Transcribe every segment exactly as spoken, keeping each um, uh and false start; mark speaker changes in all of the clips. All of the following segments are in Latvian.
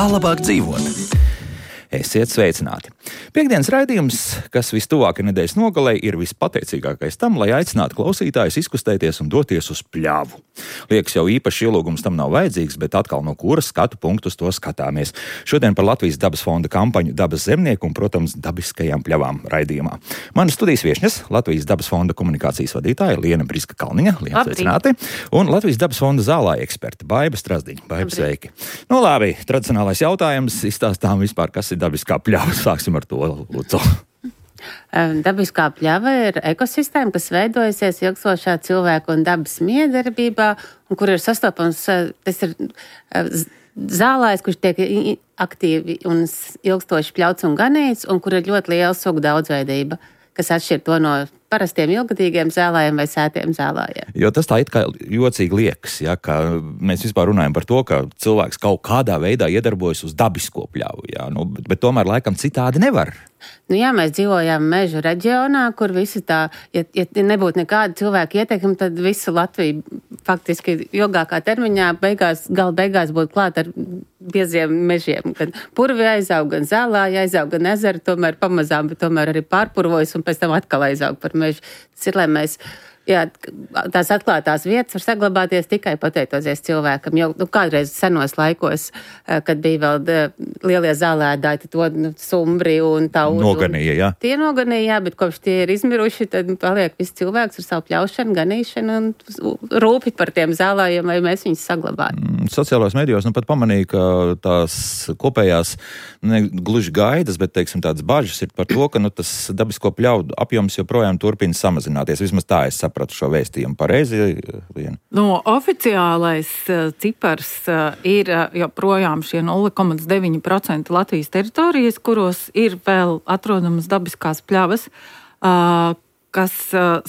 Speaker 1: Kā labāk dzīvot? Esiet sveicināti! Piektdienas raidījums, kas vistuvāk nedēļas nogalē, ir vispateicīgākais tam, lai aicinātu klausītājus izkustēties un doties uz pļavu. Liekas, jau īpaši ielūgums tam nav vajadzīgs, bet atkal no kuras skatu punktu uz to skatāmies. Šodien par Latvijas dabas fonda kampaņu Dabas zemnieku un, protams, dabiskajām pļavām raidījumā. Mana studijas viešņas Latvijas dabas fonda komunikācijas vadītāja Liena Briska-Kalniņa, Liena, sveicināti, un Latvijas dabas fonda zālāja eksperta Baiba Strazdiņa. Baiba, sveiki! Nu labi, tradicionālais jautājums, izstāstām vispār, kas ir dabiskā pļava. Sāksim ar to, Lūdzu.
Speaker 2: Dabiskā pļava ir ekosistēma, kas veidojusies ilgstošā cilvēku un dabas miedarbībā, un kur ir sastopams, tas ir zālājs, kurš tiek aktīvi un ilgstoši pļauts un ganīts, un kur ir ļoti liela sugu daudzveidība, kas atšķir to no parastiem ilgadīgiem zālājiem vai sētiem zālājiem.
Speaker 1: Jo tas tā it kā jocīgi liekas, ja, ka mēs vispār runājam par to, ka cilvēks kaut kādā veidā iedarbojas uz dabisko pļavu, ja, nu, bet, bet tomēr laikam citādi nevar.
Speaker 2: Nu jā, mēs dzīvojam mežu reģionā, kur visi tā, ja, ja nebūtu nekāda cilvēka ieteikuma, tad visu Latviju faktiski ilgākā termiņā beigās, gala beigās būtu klāt ar bieziem mežiem. Gan purvi aizaug, gan zālāji aizaug, gan ezeri tomēr pamazām, bet tomēr arī pārpurvojas un pēc tam atkal aizaug par mežu. Tas ir, lai mēs, jā, tās atklātās vietas var saglabāties tikai pateicoties cilvēkam. Jo nu, kādreiz senos laikos, kad bija vēl lielie zālēdāji, tad to nu, sumbri un tauri.
Speaker 1: Noganīja, jā.
Speaker 2: Tie noganīja, jā, bet kopš tie ir izmiruši, tad paliek viss cilvēks ar savu pļaušanu, ganīšanu un rūpi par tiem zālājiem, lai mēs viņus saglabātu.
Speaker 1: Sociālajos medijos nu pat pamanīja, ka tās kopējās ne gluži gaidas, bet, teiksim, tādas bažas ir par to, ka nu, tas dabisko pļaudu apjoms joprojām turpina samazināties. Vismaz tā es sapratu šo vēstījumu. Pareizi, Liena?
Speaker 3: No oficiālais cipars ir joprojām šie nulle komats deviņi procenti Latvijas teritorijas, kuros ir vēl atrodamas dabiskās pļavas, kas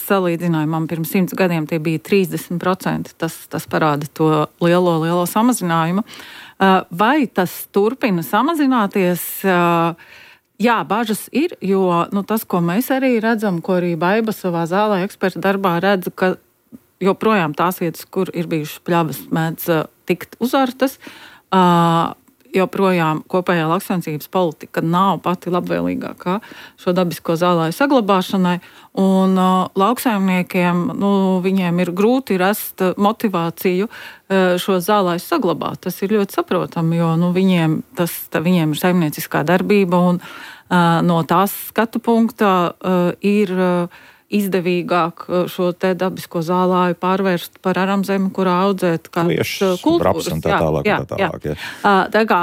Speaker 3: salīdzinājumam pirms simts gadiem tie bija trīsdesmit procenti. Tas, tas parāda to lielo, lielo samazinājumu. Vai tas turpina samazināties? Jā, bažas ir, jo nu, tas, ko mēs arī redzam, ko arī Baiba savā zālē eksperta darbā redz, ka joprojām tās vietas, kur ir bijušas pļavas, mēdz tikt uzartas, joprojām kopējā lauksaimniecības politika nav pati labvēlīgākā šo dabisko zālāju saglabāšanai, un uh, lauksaimniekiem, nu, viņiem ir grūti rast motivāciju uh, šo zālāju saglabāt. Tas ir ļoti saprotami, jo nu, viņiem, tas, tā, viņiem ir saimnieciskā darbība, un uh, no tās skatu punkta uh, ir uh, izdevīgāk šo te dabisko zālāju pārvērst par aramzemi, kurā audzēt kādas kultūras.
Speaker 1: Un tā tālāk,
Speaker 3: jā,
Speaker 1: tā tālāk, jā.
Speaker 3: jā. Tā kā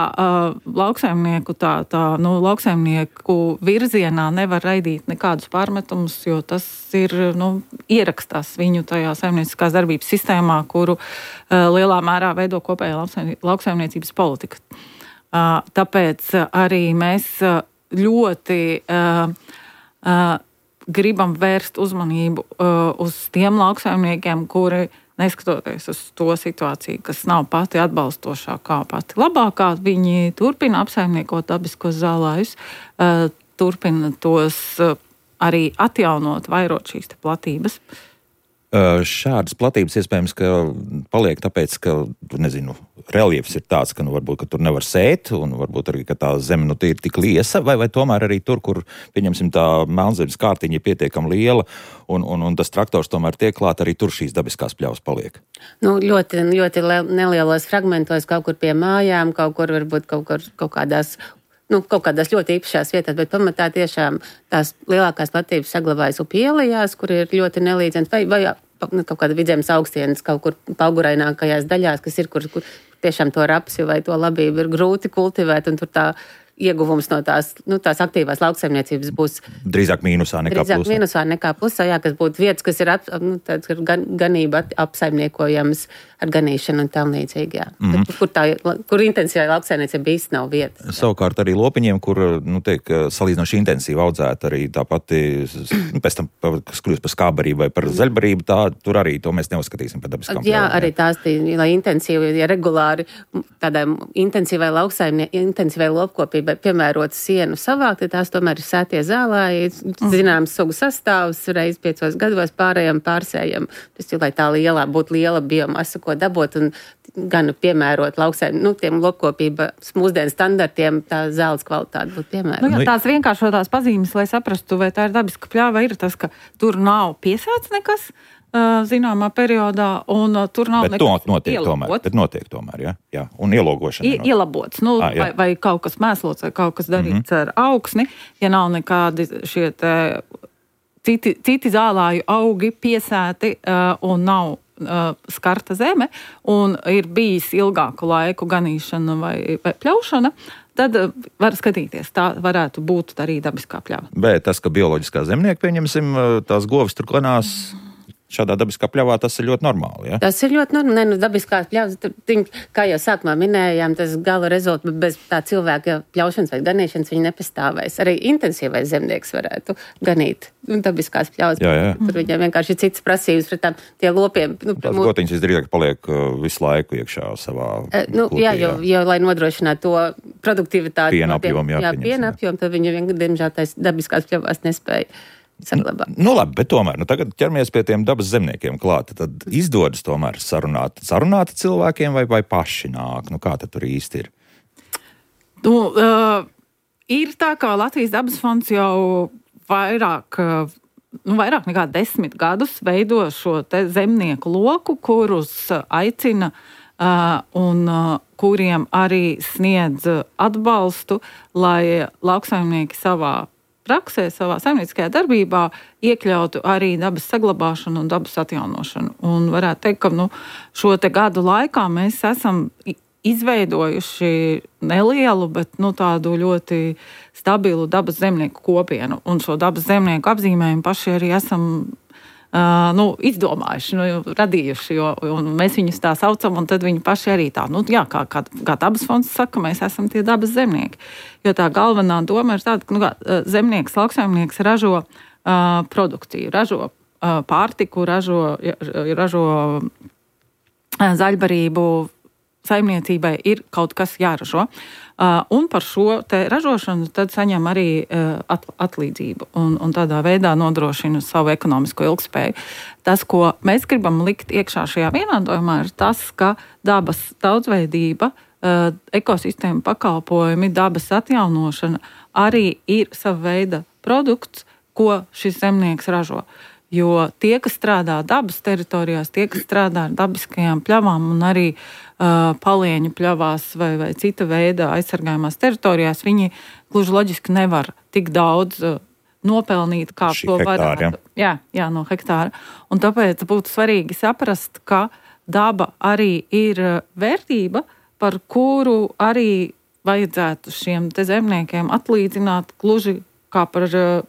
Speaker 3: lauksaimnieku, tā, tā, nu, lauksaimnieku virzienā nevar raidīt nekādus pārmetumus, jo tas ir, nu, ierakstās viņu tajā saimnieciskās darbības sistēmā, kuru lielā mērā veido kopējā lauksaimniecības politika. Tāpēc arī mēs ļoti gribam vērst uzmanību uh, uz tiem lauksaimniekiem, kuri, neskatoties uz to situāciju, kas nav pati atbalstošākā, pati labākā, viņi turpina apsaimniekot dabiskos zālājus, uh, turpina tos uh, arī atjaunot, vairot šīs te platības.
Speaker 1: Šādas platības iespējams, ka paliek tāpēc, ka, nezinu, reliefs ir tāds, ka, nu, varbūt, ka tur nevar sēt, un varbūt arī, ka tā zeme, nu, ir tik liesa, vai, vai tomēr arī tur, kur, pieņemsim, tā melnzemes kārtiņa ir pietiekami liela, un, un, un tas traktors tomēr tiek klāt, arī tur šīs dabiskās pļavas paliek.
Speaker 2: Nu, ļoti, ļoti nelielos fragmentos, kaut kur pie mājām, kaut kur varbūt kaut, kur, kaut kādās Nu, kaut kādās ļoti īpašās vietās, bet pamatā tiešām tās lielākās platības saglabājas upielajās, kur ir ļoti nelīdzens, vai, vai kaut kāda vidzemes augstienes kaut kur paugurainākajās daļās, kas ir, kur, kur tiešām to rapsi vai to labību ir grūti kultivēt, un tur tā ieguvums no tās, nu, tās aktīvās lauksaimniecības būs
Speaker 1: drīzāk mīnusā nekā
Speaker 2: drīzāk
Speaker 1: plusā.
Speaker 2: mīnusā nekā plusā, jā, kas būtu vietas, kas ir ap, nu, tāds, gan, ganība apsaimniekojamas ar ganīšanu un tam līdzīgi, jā. Mm-hmm. Bet, kur, tā, kur intensīvai lauksaimniecība īsti nav vietas.
Speaker 1: Savukārt arī lopiņiem, kur, nu, tiek salīdzinoši intensīvi audzēta arī tā pati, nu, pēc tam, kas kļūst par skābarību vai par zaļbarību, tā, tur arī to mēs neuzskatīsim par dabiskām
Speaker 2: Jā,
Speaker 1: pļavām.
Speaker 2: arī tās, tī, lai intensīvi, ja regulāri tādai intensīvai lauksaimnie, intensīvai lopkopībai piemērotu sienu savākt, tad tās tomēr ir sētie zālāji, zināms sugu sastāvs, reiz piecos gados pārējām pārsējam. Tas ir, lai tā lielā būtu liela biomasa, ko dabot un gan piemērot lauksēm, nu, tiem lopkopības mūsdienu standartiem, tā zāles kvalitāte būtu piemērota.
Speaker 3: Nu, jā, tās vienkāršotās pazīmes, lai saprastu, vai tā ir dabiska pļāva, ir tas, ka tur nav piesāts nekas zināmā periodā, un tur nav
Speaker 1: bet nekas notiek tomēr, bet notiek tomēr, jā, jā. Un ielogošana.
Speaker 3: I, ielabots, nu, ah, vai, vai kaut kas mēslots, vai kaut kas darīts mm-hmm. ar augsni, ja nav nekādi šie te citi, citi zālāju augi piesēti uh, un nav uh, skarta zeme, un ir bijis ilgāku laiku ganīšana vai, vai pļaušana, tad var skatīties, tā varētu būt arī dabiskā pļava.
Speaker 1: Bet tas, ka bioloģiskā zemnieka, pieņemsim, tās govis tur klanās, šādā dabiskā pļavā tas ir ļoti normāli, ja?
Speaker 2: Tas ir ļoti normāli. Ne, nu, dabiskās pļavas, tur, kā jau sākumā minējām, tas gala rezultāts bez tā cilvēka pļaušanas vai ganīšanas viņi nepastāvēs. Arī intensīvais zemnieks varētu ganīt nu, dabiskās pļavas.
Speaker 1: Jā, jā.
Speaker 2: Tur viņam vienkārši ir citas prasības pret tām tie lopiem. Nu,
Speaker 1: tās mūs... gotiņas visdrīzāk paliek visu laiku iekšā savā
Speaker 2: e, nu,
Speaker 1: kultī,
Speaker 2: jā, jo, jo, lai nodrošinātu to produktivitāti.
Speaker 1: Piena apjomu, jā,
Speaker 2: jā, piena apjomu, tad viņi vien, diemžēl tais dabiskās pļavās nespēja. Saglabā.
Speaker 1: Nu, labi, bet tomēr, nu, tagad ķeramies pie tiem dabas zemniekiem klāt. Tad izdodas tomēr sarunāt, sarunāt cilvēkiem vai, vai paši nāk? Nu, kā tad tur īsti ir?
Speaker 3: Nu, uh, ir tā, ka Latvijas dabas fonds jau vairāk, uh, nu, vairāk nekā desmit gadus veido šo te zemnieku loku, kurus aicina uh, un uh, kuriem arī sniedz atbalstu, lai lauksaimnieki savā praksē, savā saimnieciskajā darbībā iekļautu arī dabas saglabāšanu un dabas atjaunošanu. Un varētu teikt, ka nu, šo te gadu laikā mēs esam izveidojuši nelielu, bet nu, tādu ļoti stabilu dabas zemnieku kopienu. Un šo dabas zemnieku apzīmējumu paši arī esam uh, nu, izdomājuši, nu, radījuši, jo mēs viņus tā saucam, un tad viņi paši arī tā, nu, jā, kā, kā, kā dabas fonds saka, mēs esam tie dabas zemnieki. Jo tā galvenā doma ir tāda, ka nu, zemnieks, lauksaimnieks ražo uh, produkciju, ražo uh, pārtiku, ražo, ražo uh, zaļbarību, saimniecībai ir kaut kas jāražo. Uh, un par šo te ražošanu tad saņem arī uh, at, atlīdzību un, un tādā veidā nodrošina savu ekonomisko ilgspēju. Tas, ko mēs gribam likt iekšā šajā vienādojumā, ir tas, ka dabas daudzveidība, Uh, ekosistēma pakalpojumi, dabas atjaunošana arī ir sava veida produkts, ko šis zemnieks ražo. Jo tie, kas strādā dabas teritorijās, tie, kas strādā ar dabiskajām pļavām un arī uh, palieņu pļavās vai, vai cita veida aizsargājumās teritorijās, viņi gluži loģiski nevar tik daudz uh, nopelnīt, kā
Speaker 1: Šī
Speaker 3: to
Speaker 1: hektāra,
Speaker 3: varētu. Jā, jā, no hektāra. Un tāpēc būtu svarīgi saprast, ka daba arī ir vērtība, par kuru arī vajadzētu šiem te zemniekiem atlīdzināt gluži kā par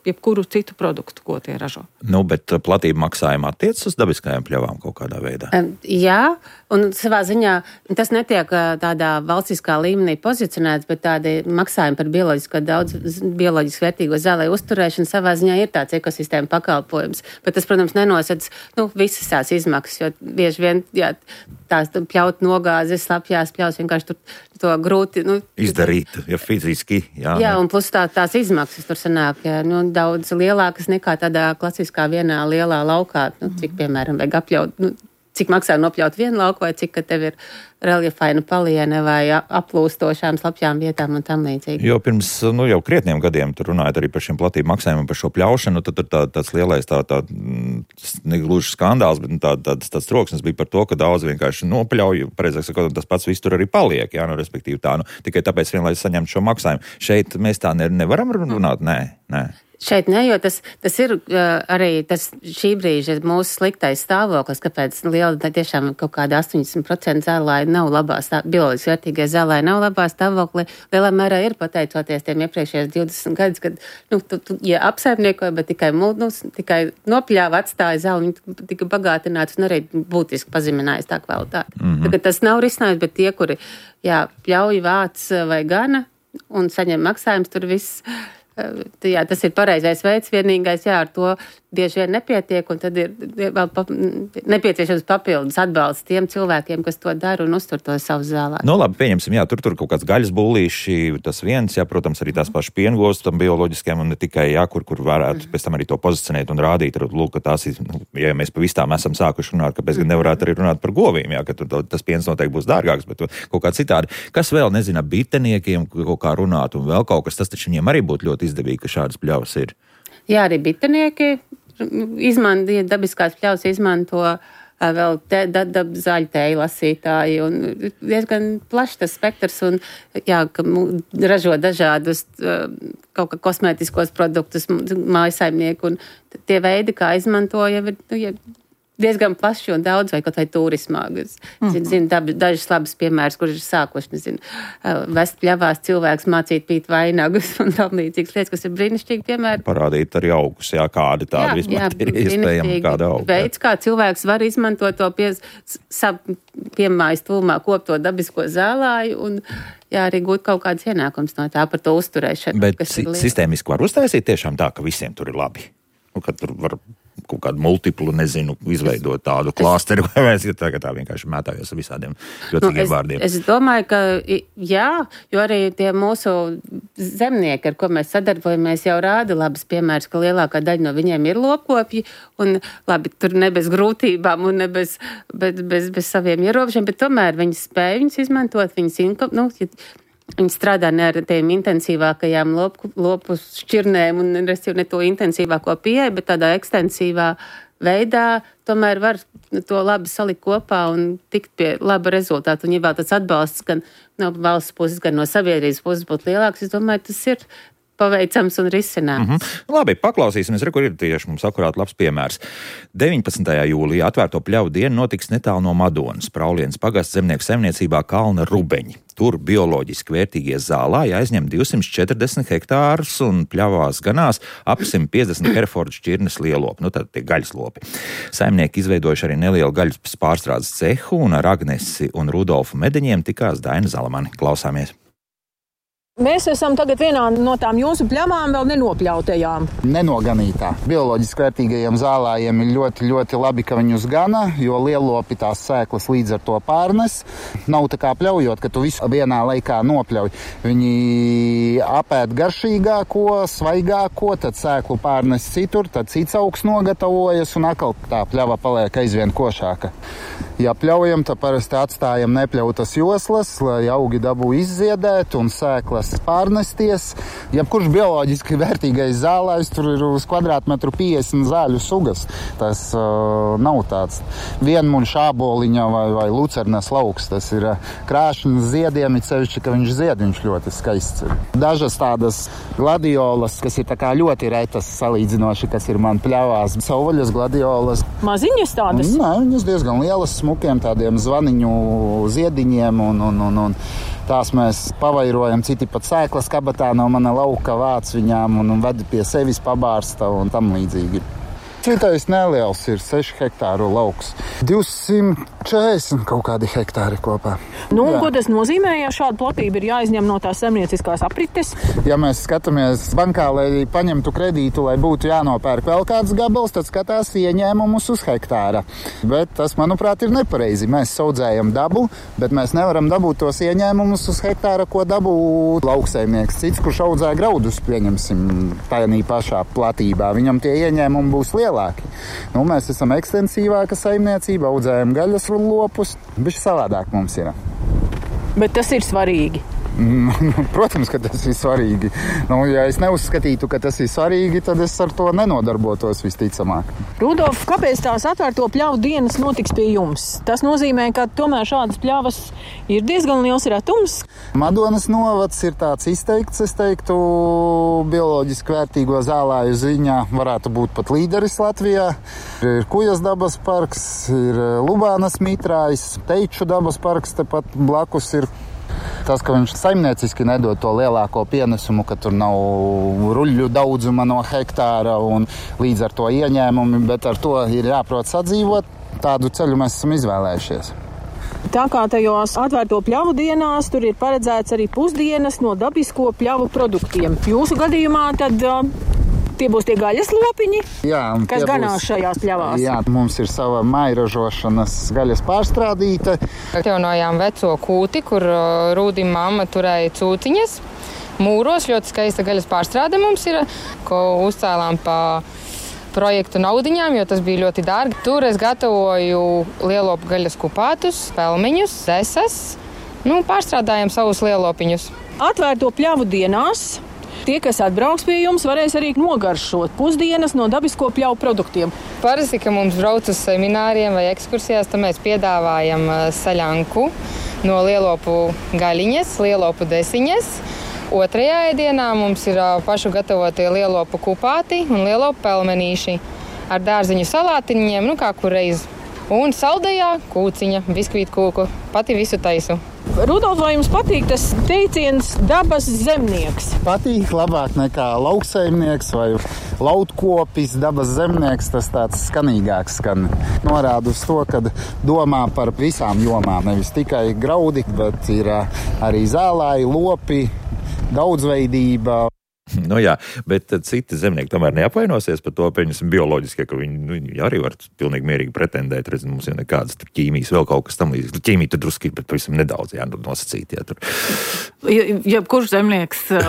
Speaker 3: jebkuru citu produktu, ko tie ražo.
Speaker 1: Nu, bet platība maksājuma attiecas uz dabiskajām pļavām kaut kādā veidā?
Speaker 2: Jā, un savā ziņā tas netiek tādā valstiskā līmenī pozicionēts, bet tādi maksājumi par bioloģisko daudz, bioloģiski vērtīgo zālēju uzturēšanu savā ziņā ir tāds ekosistēma pakalpojums. Bet tas, protams, nenosedz nu, visas tās izmaksas, jo bieži vien jā, tās pļaut nogāzes, slapjās pļaus, vienkārši tur to grūti nu,
Speaker 1: izdarīt, ja fiziski. Jā,
Speaker 2: jā un plus tā, tās izmaksas tur sanāk jā, nu, daudz lielākas nekā tādā klasiskā vienā lielā laukā, nu, cik, piemēram, vajag apļaut, nu, cik maksā nopļaut vienu lauku, vai cik, ka tev ir reljefaina paliene vai aplūstošām slapjām vietām un tam līdzīgi.
Speaker 1: Jo pirms, nu, jau krietniem gadiem tur runājot arī par šiem platību maksājumiem, par šo pļaušanu, tad tur tā, tāds lielais tā, tā negluži skandāls, bet tā, tāds, tāds troksnis bija par to, ka daudz vienkārši nopļauj, pareizāk sakot, tas pats viss tur arī paliek, jā, nu, respektīvi tā, nu, tikai tāpēc vien, lai saņemtu šo maksājumu. Šeit mēs tā ne, nevaram runāt, nē, nē.
Speaker 2: Šeit ne, jo tas, tas ir uh, arī tas šī brīža mūsu sliktais stāvoklis, kāpēc liela tiešām kaut kāda astoņdesmit procenti zālāji nav labā stāvoklī, bioloģiski vērtīgie zālāji nav labā stāvoklī. Lielā mērā ir pateicoties tiem iepriekšējos divdesmit gadus, kad, nu, tu, tu, ja apsaimniekoja, bet tikai, nu, tikai nopļāva, atstāja zāli, viņi tika bagātināts un arī būtiski pazeminājis tā kvalitāti. Mm-hmm. Tagad tas nav risinājums, bet tie, kuri, jā, pļauj, vāc vai gana un saņem maksājums, tur viss. Jā, tas ir pareizais veids, vienīgais, jā, ar to bieži vien nepietiek, un tad ir vēl pa, nepieciešams papildus atbalsts tiem cilvēkiem, kas to dara un uztur to savu zālā.
Speaker 1: Nu, labi, pieņemsim, jā, tur tur kaut kāds gaļas bullīši, tas viens, jā, protams, arī tās pašas piengovas tam bioloģiskiem, un ne tikai, jā, kur, kur varētu pēc tam arī to pozicionēt un rādīt, lūk, ka tās ir, nu, ja mēs pa vistām esam sākuši runāt, kāpēc gan nevarētu arī runāt par govīm, jā, ka tur tas piens noteikti būs dārgāks, bet kaut kā citādi. Kas vēl, nezina, biteniekiem kaut kā runāt, un vēl kaut kas, tas taču viņiem arī būtu ļoti izdevīgi, ka šādas pļavas ir.
Speaker 2: Jā, arī bitenieki izmanto, dabiskās pļavas izmanto vēl te, da, da, zaļu tēju lasītāji, un diezgan plašs tas spektrs, un jā, ka ražo dažādus kaut kā kosmētiskos produktus mājasaimnieku, un tie veidi, kā izmantoja, ir diezgan plaši un daudz, vai kaut vai turismā. Es mm-hmm. zinu dab, dažas labas piemēras, kur ir sākuši, nezinu, vest pļavās cilvēks mācīt pīt vainagus un tam līdzīgas lietas, kas ir brīnišķīgi piemēri.
Speaker 1: Parādīt arī augus, jā, kādi tādi vispār ir iespējami kāda auga.
Speaker 2: Veids, kā cilvēks var izmantot to pie, sav, piemājas tūmā kopto dabisko zālāju un jā, arī gūt kaut kādas ienākums no tā par to uzturēšanu.
Speaker 1: Bet si- sistēmiski var uztaisīt tiešām tā, ka visiem tur ir labi. Nu, kad tur var kaut kādu multiplu, nezinu, izveidot tādu klāsteri, vai es tagad tā vienkārši mētājos ar visādiem ļotīgiem
Speaker 2: nu, es,
Speaker 1: vārdiem.
Speaker 2: Es domāju, ka jā, jo arī tie mūsu zemnieki, ar ko mēs sadarbojamies, jau rāda labas piemērs, ka lielākā daļa no viņiem ir lopkopji, un labi, tur ne bez grūtībām un ne bez, bez, bez, bez saviem ierobežiem, bet tomēr viņi spēj viņus izmantot, viņus inkom, nu, viņi strādā ne ar tiem intensīvākajām lopu, lopu šķirnēm un ne to intensīvāko pieeja, bet tādā ekstensīvā veidā tomēr var to labi salikt kopā un tikt pie laba rezultāta. Un ja vēl tas atbalsts gan no valsts puses, gan no sabiedrības puses būtu lielāks, es domāju, tas ir paveicams un risināms.
Speaker 1: Mm-hmm. Labi, paklausīsimies, re, kur ir tieši mums akurāt labs piemērs. deviņpadsmitajā jūlijā atvērto pļavu dienu notiks netālu no Madonas, Praulienas pagasts zemnieku saimniecībā Kalna Rubeņi. Tur bioloģiski vērtīgie zālāji aizņem divsimt četrdesmit hektārus un pļavās ganās ap simt piecdesmit Herfordu šķirnes lielopi, nu tad tie gaļas lopi. Saimnieki izveidojuši arī nelielu gaļas pārstrādes cehu un ar Agnesi un Rudolfu Medeņiem tikās Daina Zalamani. Klausāmies!
Speaker 4: Mēs esam tagad vienā no tām jūsu pļavām vēl nenopļautajām.
Speaker 5: Nenoganītā. Bioloģiski vērtīgajiem zālājiem ir ļoti, ļoti labi, ka viņus gana, jo lielopi tās sēklas līdz ar to pārnes. Nav tā kā pļaujot, ka tu visu vienā laikā nopļauj. Viņi apēd garšīgāko, svaigāko, tad sēklu pārnes citur, tad cits augs nogatavojas un atkal tā pļava paliek aizvien košāka. Ja pļaujam, tad parasti atstājam nepļautas joslas, lai augi dabū izziedēt un sēklas pārnesties. Jebkurš bioloģiski vērtīgais zālājs, tur ir uz kvadrātmetru piecdesmit zāļu sugas. Tas uh, nav tāds vienmuļš āboliņa vai, vai lucernas lauks. Tas ir uh, krāšņs ziediem, it sevišķi, ka viņš zied, viņš ļoti skaists ir. Dažas tādas gladiolas, kas ir tā kā ļoti retas salīdzinoši, kas ir man pļavās. Sauvaļas gladiolas.
Speaker 4: Maziņas tādas?
Speaker 5: Nē, viņas diezgan lielas, smukiem tādiem zvaniņu ziediņiem un, un, un, un tās mēs pavairojam, citi pat sēklas kabatā no mana lauka vāc viņām un, un ved pie sevis pabārsta un tam līdzīgi. Citais neliels ir seši hektāru lauks. divsimt četrdesmit kaut kādi hektāri kopā.
Speaker 4: Nu, un ko tas nozīmē, ja šāda platība ir jāizņem no tās saimnieciskās aprites?
Speaker 5: Ja mēs skatāmies bankā, lai paņemtu kredītu, lai būtu jānopērk vēl kāds gabals, tad skatās ieņēmumus uz hektāra. Bet tas, manuprāt, ir nepareizi. Mēs saudzējam dabu, bet mēs nevaram dabūt tos ieņēmumus uz hektāra, ko dabū lauksaimnieks. Cits, kurš audzē graudus, pieņemsim, tajā pašā platībā. Viņam tie ieņēmumi būs lielāki. Nu, mēs esam ekstensīvāka saimniecība, audzējam gaļas lopus, bišķi savādāk mums ir.
Speaker 4: Bet tas ir svarīgi.
Speaker 5: Protams, ka tas ir svarīgi. Nu, ja es neuzskatītu, ka tas ir svarīgi, tad es ar to nenodarbotos visticamāk.
Speaker 4: Rudolf, kāpēc tās atvērto pļavu dienas notiks pie jums? Tas nozīmē, ka tomēr šādas pļavas ir diezgan liels retums.
Speaker 5: Madonas novads ir tāds izteikts, es teiktu, bioloģiski vērtīgo zālāju ziņā varētu būt pat līderis Latvijā. Ir Kujas dabas parks, ir Lubānas mitrājs, Teiču dabas parks tepat blakus ir. Tas, ka viņš saimnieciski nedod to lielāko pienesumu, ka tur nav ruļļu daudzuma no hektāra un līdz ar to ieņēmumi, bet ar to ir jāprot sadzīvot. Tādu ceļu mēs esam izvēlējušies.
Speaker 4: Tā kā tajos atvērto pļavu dienās tur ir paredzēts arī pusdienas no dabisko pļavu produktiem. Jūsu gadījumā tad Tie būs tie gaļas lopiņi,
Speaker 5: Jā,
Speaker 4: kas ganās
Speaker 5: būs,
Speaker 4: šajās pļavās.
Speaker 5: Jā, mums ir sava mairažošanas gaļas pārstrādīta.
Speaker 6: Atjaunojām veco kūti, kur Rūdim mamma turēja cūciņas. Mūros ļoti skaista gaļas pārstrāde mums ir, ko uzcēlām pa projektu naudiņām, jo tas bija ļoti dārgi. Tur es gatavoju lielopu gaļas kupātus, pelmeņus, zesas. Nu, pārstrādājam savus lielopiņus.
Speaker 4: Atvērto pļavu dienās tie, kas atbrauks pie jums, varēs arī nogaršot pusdienas no dabisko pļavu produktiem.
Speaker 6: Parasti, ka mums brauc uz semināriem vai ekskursijās, tad mēs piedāvājam saļanku no lielopu gaļiņas, lielopu desiņas. Otrajā ēdienā mums ir pašu gatavotie lielopu kupāti un lielopu pelmenīši ar dārziņu salātiņiem, nu kā kur reiz. Un saldējā kūciņa, biskvītu kūku, pati visu taisu.
Speaker 4: Rudolf, vai jums patīk tas teiciens dabas zemnieks?
Speaker 5: Patīk labāk nekā lauksaimnieks vai lautkopis, dabas zemnieks, tas tāds skanīgāks skan. Norāda uz to, ka domā par visām jomām, nevis tikai graudi, bet ir arī zālāji, lopi, daudzveidība.
Speaker 1: Nu jā, bet citi zemnieki tomēr neapvainosies par to, pieņemsim bioloģiskie, ka viņi, nu, viņi arī var pilnīgi mierīgi pretendēt. Redz, mums jau nekādas tur ķīmijas, vēl kaut kas tam līdzīgs. Ķīmija tur drusku ir, bet pavisam nedaudz jā, nosacīt. Jā, tur.
Speaker 3: Ja, ja kurš zemnieks uh,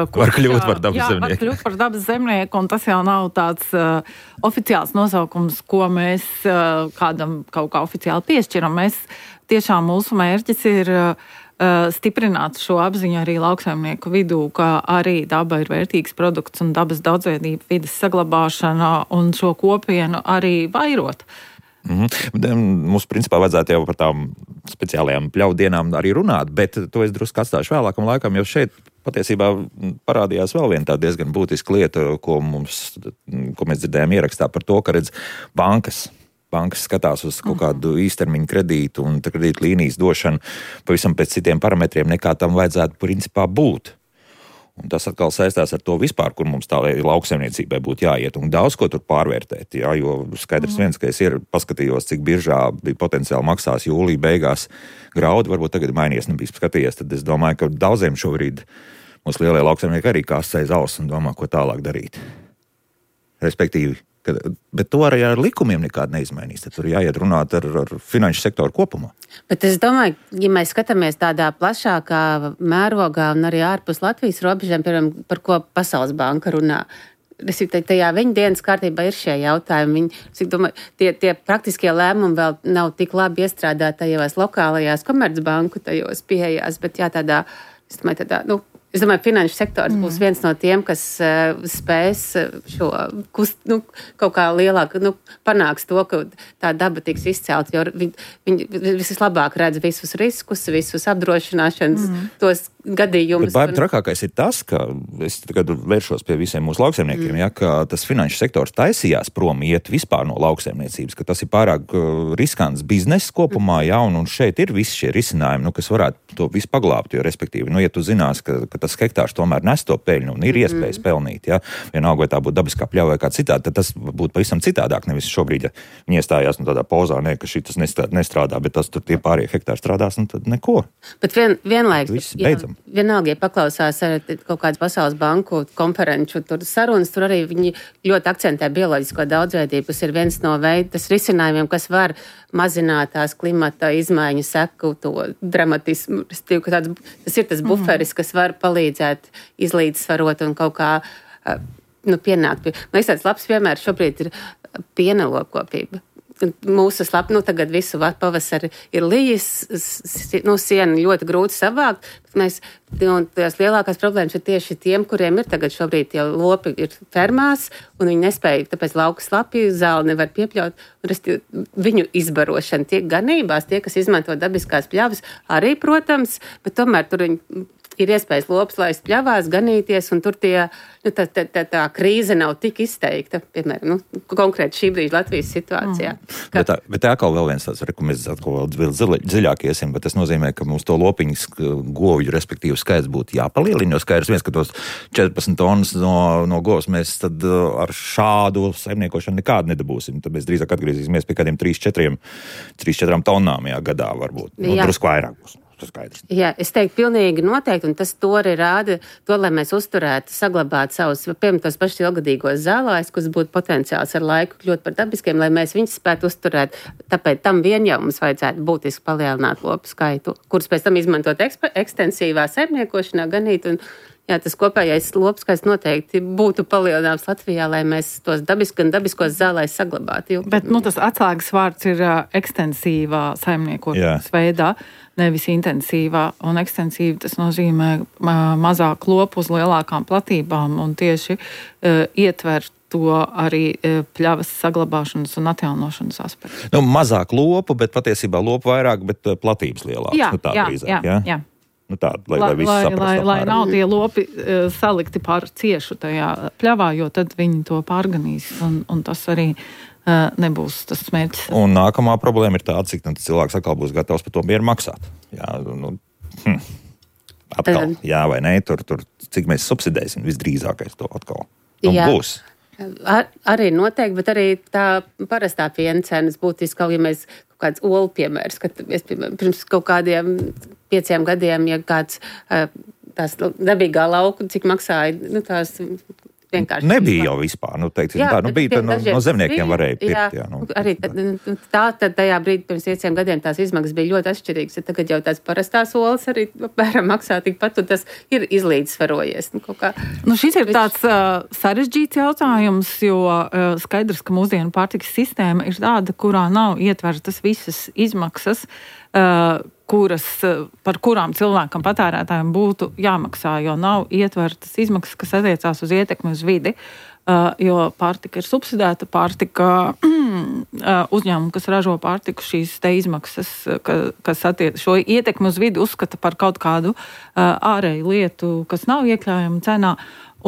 Speaker 3: kurš,
Speaker 1: var kļūt par dabas
Speaker 3: jā,
Speaker 1: zemnieku.
Speaker 3: Var kļūt par dabas zemnieku, un tas jau nav tāds uh, oficiāls nosaukums, ko mēs uh, kādam kaut kā oficiāli piešķiram. Mēs tiešām mūsu mērķis ir uh, stiprināt šo apziņu arī lauksaimnieku vidū, ka arī daba ir vērtīgs produkts un dabas daudzveidība, vides saglabāšana un šo kopienu arī vairot.
Speaker 1: Mm-hmm. Mums principā vajadzētu jau par tām speciālajām pļauju dienām arī runāt, bet to es drusku atstāšu vēlākam laikam, jo šeit patiesībā parādījās vēl viena tā diezgan būtiska lieta, ko, mums, ko mēs dzirdējām ierakstā par to, ka redz bankas. Bankas skatās uz kaut kādu īstermiņu kredītu un kredītu līnijas došanu pavisam pēc citiem parametriem, nekā tam vajadzētu principā būt. Un tas atkal saistās ar to vispār, kur mums tā lauksaimniecībai būtu jāiet un daudz ko tur pārvērtēt, jā, jo skaidrs viens, ka es ir paskatījos, cik biržā bija potenciāli maksās jūlija beigās graudi, varbūt tagad mainījies, nebija skatījies, tad es domāju, ka daudziem šobrīd mūsu lielie lauksaimnieki arī kās aiz auss un domā, ko tālāk darīt. Respektīvi, bet to arī ar likumiem nekādi neizmainīs. Tad tur jāiet runāt ar, ar finanšu sektoru kopumā.
Speaker 2: Bet es domāju, ja mēs skatāmies tādā plašākā mērogā un arī ārpus Latvijas robežām, piemēram, par ko Pasaules banka runā, tajā viņa dienas kārtībā ir šie jautājumi. Viņi, es domāju, tie, tie praktiskie lēmumi vēl nav tik labi iestrādāti tajos lokālajās komercbanku tajos pieejās, bet jā, tādā, es domāju, tādā, nu, Es domāju, ka finanšu sektors mm. būs viens no tiem, kas uh, spēs šo kust, nu, kaut kā lielāk, nu, panāks to, ka tā daba tiks izcelt, jo viņi, viņi vislabāk redz visus riskus, visus apdrošināšanas, mm. tos gadījumus.
Speaker 1: Bet baigi trakākais ir tas, ka es tagad vēršos pie visiem mūsu lauksaimniekiem, mm. ja, ka tas finanšu sektors taisījās prom iet vispār no lauksaimniecības, ka tas ir pārāk uh, riskants bizness kopumā, mm. ja, un, un šeit ir visi šie risinājumi, nu, kas varētu to visu paglābt, jo respektīvi, nu, ja tu zinās, ka, ka tas hektārs tomēr nes to peļņu un ir iespējas mm. pelnīt, ja, vienalga, vai tā būtu dabiskā pļauja vai kā citādi, tad tas būtu pavisam citādāk, nevis šobrīd, ja viņi iestājās nu, tādā pozā, ne, ka šitas nestrādā, bet tas tur tie pārējie hektāri strādās, un tad neko.
Speaker 2: Bet vien, vienlaiks, jā, vienalga, ja paklausās ar kaut kādas Pasaules banku konferenču tur sarunas, tur arī viņi ļoti akcentē bioloģisko daudzveidību, kas ir viens no veidas risinājumiem, kas var mazināt tās klimata izmaiņu seku, to dramatismu. Tāds, tas ir tas buferis, kas var palīdzēt izlīdzsvarot un kaut kā nu, pienākt. Man liekas, tāds labs piemērs šobrīd ir pienelokopība. Mūsu slap, nu tagad visu pavasari ir lijas, nu siena ļoti grūti savākt. Mēs, un tās lielākās problēmas ir tieši tiem, kuriem ir tagad šobrīd tie lopi ir fermās, un viņi nespēja, tāpēc lauka slapju zāli nevar piepļaut. Un viņu izbarošana tiek ganībās, tie, kas izmanto dabiskās pļavas, arī, protams, bet tomēr tur viņi ir iespējas lops laist pļavās, ganīties, un tur tie, nu, tā, tā, tā, tā krīze nav tik izteikta, piemēram, nu, konkrēti šī brīža Latvijas situācijā. Mm.
Speaker 1: Ka... Bet, tā, bet tā atkal vēl viens tāds, ko mēs atkal vēl dziļāk iesim, bet tas nozīmē, ka mums to lopiņas govju, respektīvi, skaits būtu jāpalielina, jo skaidrs viens, ka tos četrpadsmit tonnas no, no govs mēs tad ar šādu saimniekošanu nekādu nedabūsim. Tad mēs drīzāk atgriezīsimies pie kādiem trīs četrām tonnām jā, gadā varbūt. Nu, drusku vairāk būs. tas skaidrs.
Speaker 2: Jā, es teiktu pilnīgi noteikti, un tas to arī rāda, to, lai mēs uzturētu, saglabātu savus, piemēram, tos pašus ilgadīgos zālājus, kas būtu potenciāls ar laiku kļūt par dabiskiem, lai mēs viņus spētu uzturēt. Tāpēc tam vien jau mums vajadzētu būtiski palielināt lopu skaitu, kurus pēc tam izmantot eksp- ekstensīvā saimniekošanā, ganīt, un jā, tas kopējais lopskaits noteikti būtu palielināms Latvijā, lai mēs tos dabis, gan dabiskos zālājus saglabātu.
Speaker 3: Bet nu, tas atslēgas vārds ir uh, ekstensīvā saimniekošanas veidā, nevis intensīvā. Un ekstensīva tas nozīmē uh, mazāk lopu uz lielākām platībām un tieši uh, ietver to arī uh, pļavas saglabāšanas un atjaunošanas aspektu.
Speaker 1: Nu, mazāk lopu, bet patiesībā lopu vairāk, bet uh, platības lielākas.
Speaker 3: Jā,
Speaker 1: nu, tā
Speaker 3: jā,
Speaker 1: drīzāk,
Speaker 3: jā,
Speaker 1: jā.
Speaker 3: jā.
Speaker 1: Nu tā, lai, lai,
Speaker 3: lai,
Speaker 1: lai,
Speaker 3: lai, lai, lai
Speaker 1: apmēram.
Speaker 3: nav tie lopi uh, salikti pār ciešu tajā pļavā, jo tad viņi to pārganīs, un, un tas arī uh, nebūs tas mērķis.
Speaker 1: Un nākamā problēma ir tāda, cik nu, cilvēks atkal būs gatavs par to mieru maksāt. Jā, nu, hm. Atkal, jā vai nē, tur, tur cik mēs subsidēsim visdrīzākais to atkal. Nu,
Speaker 2: Jā.
Speaker 1: būs.
Speaker 2: Ar, arī noteikti, bet arī tā parastā piena cenas būtiski, kaut ja mēs kaut kāds olu piemērs, kad es, piemēram, pirms kaut kādiem pieciem gadiem, ja kāds tās dabīgā lauku, cik maksāja, nu tās vienkārši.
Speaker 1: Nebija jau vispār, nu teiksim
Speaker 2: Jā,
Speaker 1: tā, nu bija, no, no zemniekiem
Speaker 2: bija,
Speaker 1: varēja pirkt.
Speaker 2: Jā,
Speaker 1: Jā, nu,
Speaker 2: arī tad, tā, tad tajā brīdī pirms pieciem gadiem tās izmaksas bija ļoti atšķirīgas, ja tagad jau tās parastās olas arī apmēram maksā tikpat, un tas ir izlīdzsvarojies. Nu, kaut kā.
Speaker 3: Nu, šis ir tāds uh, sarežģīts jautājums, jo uh, skaidrs, ka mūsdienu pārtikas sistēma ir tāda, kurā nav ietvertas visas izmaksas, uh, kuras, par kurām cilvēkam patērētājiem būtu jāmaksā, jo nav ietvertas izmaksas, kas attiecās uz ietekmi uz vidi, uh, jo pārtika ir subsidēta, pārtika uzņēmumu, kas ražo pārtiku, šīs te izmaksas, ka, kas attiec šo ietekmi uz vidi uzskata par kaut kādu uh, ārēju lietu, kas nav iekļaujama cenā.